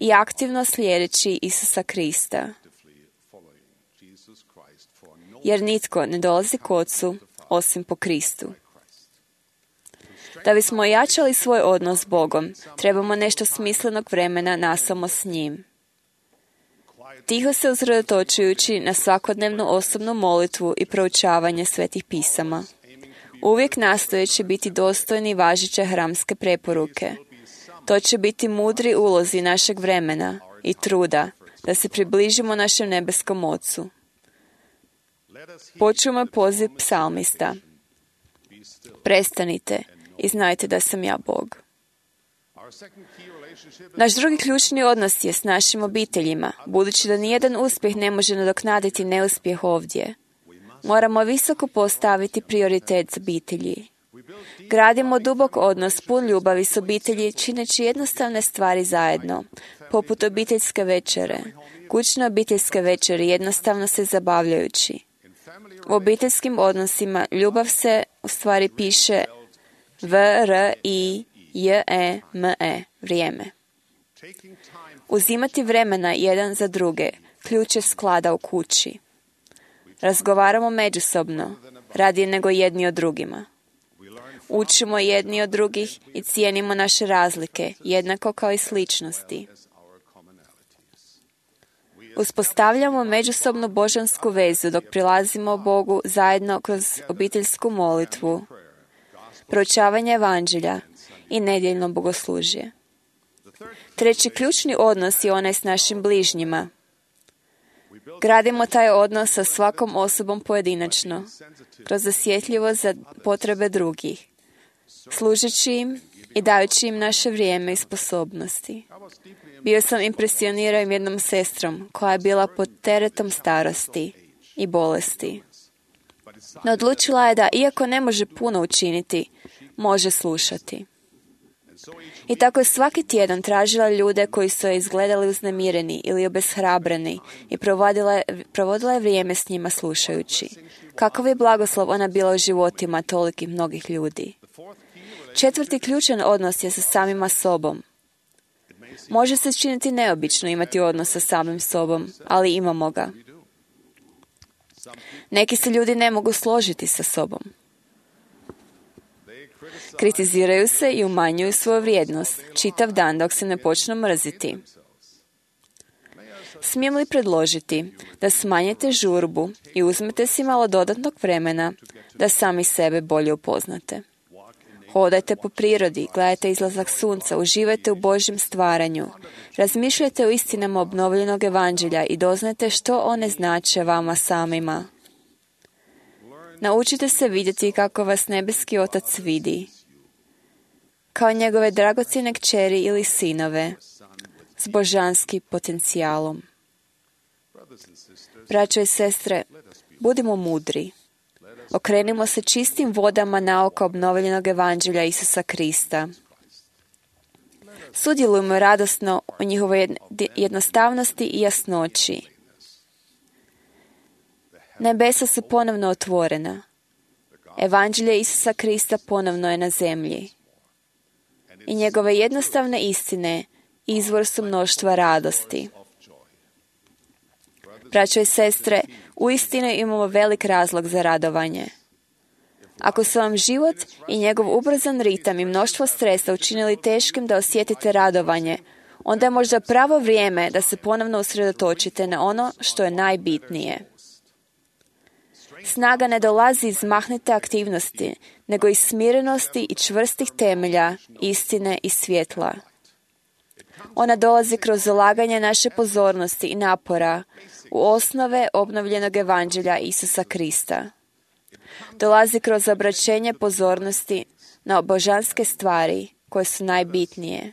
i aktivno slijedeći Isusa Krista. Jer nitko ne dolazi k Ocu osim po Kristu. Da bismo ojačali svoj odnos s Bogom, trebamo nešto smislenog vremena nasamo s njim. Tiho se usredotočujući na svakodnevnu osobnu molitvu i proučavanje svetih pisama. Uvijek nastojeći biti dostojni važeće hramske preporuke. To će biti mudri ulozi našeg vremena i truda da se približimo našem nebeskom Ocu. Počujemo poziv psalmista. Prestanite i znajte da sam ja Bog. Naš drugi ključni odnos je s našim obiteljima, budući da nijedan uspjeh ne može nadoknaditi neuspjeh ovdje. Moramo visoko postaviti prioritet s obitelji. Gradimo dubok odnos pun ljubavi s obitelji, čineći jednostavne stvari zajedno, poput obiteljske večere, kućne obiteljske večeri, jednostavno se zabavljajući. U obiteljskim odnosima ljubav se u stvari piše V R I J E M E, vrijeme. Uzimati vremena jedan za druge, ključ je sklada u kući. Razgovaramo međusobno, radije nego jedni od drugima. Učimo jedni od drugih i cijenimo naše razlike, jednako kao i sličnosti. Uspostavljamo međusobnu božansku vezu dok prilazimo Bogu zajedno kroz obiteljsku molitvu, proučavanje evanđelja i nedjeljno bogoslužje. Treći ključni odnos je onaj s našim bližnjima. Gradimo taj odnos sa svakom osobom pojedinačno, kroz osjetljivost za potrebe drugih, služeći im i dajući im naše vrijeme i sposobnosti. Bio sam impresioniran jednom sestrom koja je bila pod teretom starosti i bolesti. No odlučila je da, iako ne može puno učiniti, može slušati. I tako je svaki tjedan tražila ljude koji su je izgledali uznemireni ili obeshrabreni i provodila, provodila je vrijeme s njima slušajući. Kakav je blagoslov ona bila u životima tolikih mnogih ljudi. Četvrti ključan odnos je sa samima sobom. Može se činiti neobično imati odnos sa samim sobom, ali imamo ga. Neki se ljudi ne mogu složiti sa sobom. Kritiziraju se i umanjuju svoju vrijednost, čitav dan dok se ne počnu mrziti. Smijem li predložiti da smanjite žurbu i uzmete si malo dodatnog vremena da sami sebe bolje upoznate? Hodajte po prirodi, gledajte izlazak sunca, uživajte u Božjem stvaranju, razmišljajte o istinama obnovljenog evanđelja i doznajte što one znače vama samima. Naučite se vidjeti kako vas nebeski Otac vidi, kao njegove dragocjene kćeri ili sinove, s božanskim potencijalom. Braćo i sestre, budimo mudri. Okrenimo se čistim vodama nauka obnovljenog evanđelja Isusa Krista. Sudjelujemo radosno u njihovoj jednostavnosti i jasnoći. Nebesa su ponovno otvorena. Evanđelje Isusa Krista ponovno je na zemlji. I njegove jednostavne istine izvor su mnoštva radosti. Braćo i sestre, uistinu imamo velik razlog za radovanje. Ako su vam život i njegov ubrzan ritam i mnoštvo stresa učinili teškim da osjetite radovanje, onda je možda pravo vrijeme da se ponovno usredotočite na ono što je najbitnije. Snaga ne dolazi iz mahnite aktivnosti, nego iz smirenosti i čvrstih temelja, istine i svjetla. Ona dolazi kroz zalaganje naše pozornosti i napora u osnove obnovljenog evanđelja Isusa Krista. Dolazi kroz obraćenje pozornosti na božanske stvari koje su najbitnije.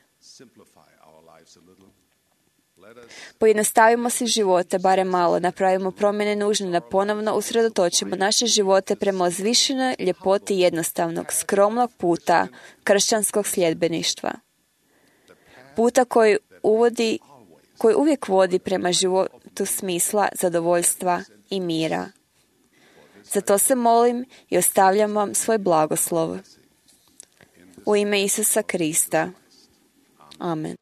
Pojednostavimo si živote, barem malo, napravimo promjene nužne da ponovno usredotočimo naše živote prema uzvišenoj ljepoti jednostavnog, skromnog puta kršćanskog sljedbeništva. Puta koji uvodi, koji uvijek vodi prema životu smisla, zadovoljstva i mira. Zato se molim i ostavljam vam svoj blagoslov. U ime Isusa Krista. Amen.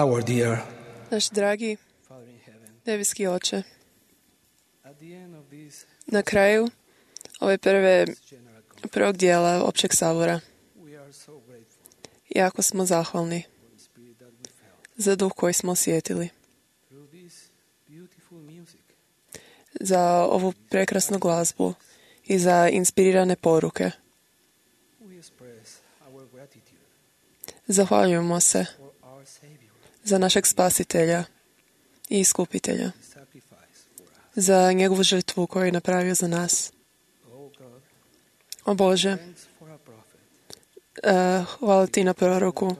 Our dear Naš dragi nebeski Oče, na kraju ove prve, prvog dijela općeg sabora jako smo zahvalni za duh koji smo osjetili, za ovu prekrasnu glazbu i za inspirirane poruke. Zahvaljujemo se za našeg spasitelja i iskupitelja, za njegovu žrtvu koju je napravio za nas. O Bože, Uh, hvala ti na proroku,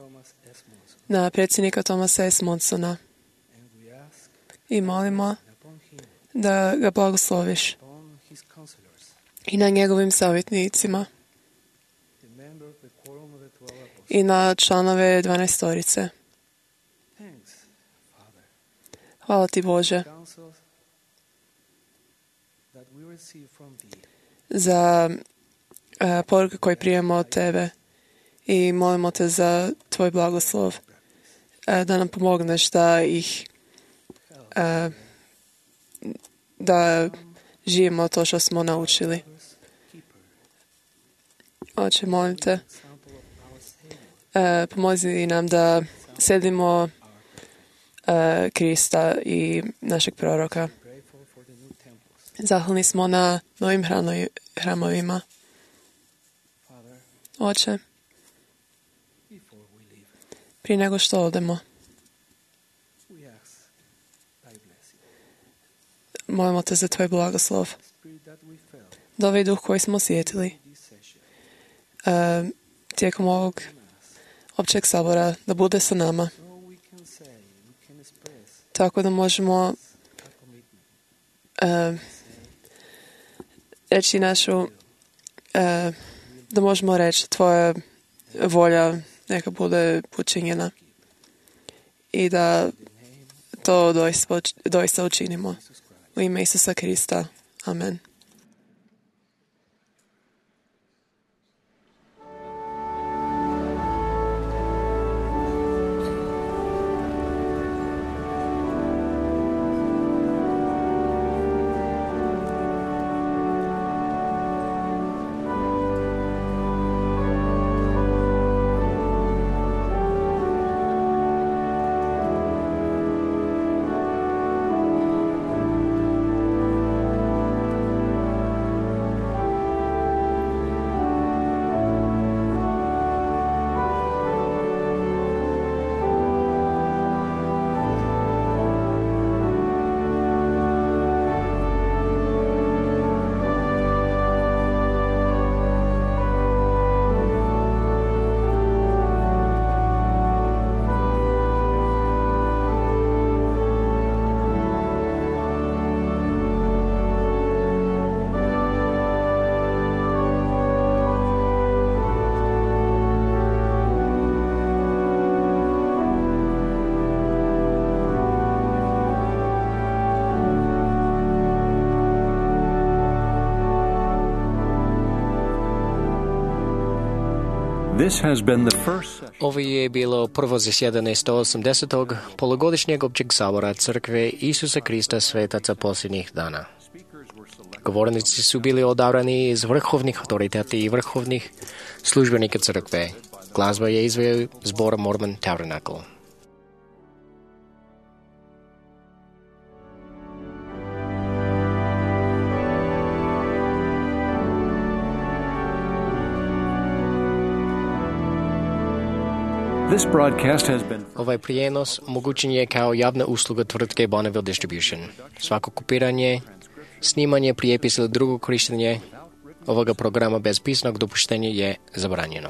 na predsjednika Thomasa S. Monsona. I molimo da ga blagosloviš i na njegovim savjetnicima i na članove dvanaestorice. Hvala ti, Bože, za uh, poruke koje prijemo od tebe i molimo te za tvoj blagoslov, uh, da nam pomogneš da ih uh, da živimo to što smo naučili. Oče, molim te, uh, pomozi nam da sledimo uh, Krista i našeg proroka. Zahvalni smo na novim hramovima. Oče, prije nego što odemo, molimo te za tvoj blagoslov, da ovaj duh koji smo osjetili uh, tijekom ovog općeg sabora, da bude sa nama, tako da možemo uh, reći našu, uh, da možemo reći tvoja volja neka bude učinjena i da to doista, doista učinimo. U ime Isusa Krista. Amen. This has been the first session. Ovo je bilo prvo zasjedanje sto osamdesetog polugodišnjeg općeg sabora Crkve Isusa Krista svetaca posljednjih dana. Govornici su bili odabrani iz vrhovnih autoriteta i vrhovnih službenika Crkve. Glazba je izveo zbor Mormon Tabernacle. This broadcast has been... Ovaj prijenos omogućen je kao javna usluga tvrtke Bonneville Distribution. Svako kopiranje, snimanje, prijepis ili drugo korištenje ovoga programa bez pisanog dopuštenja je zabranjeno.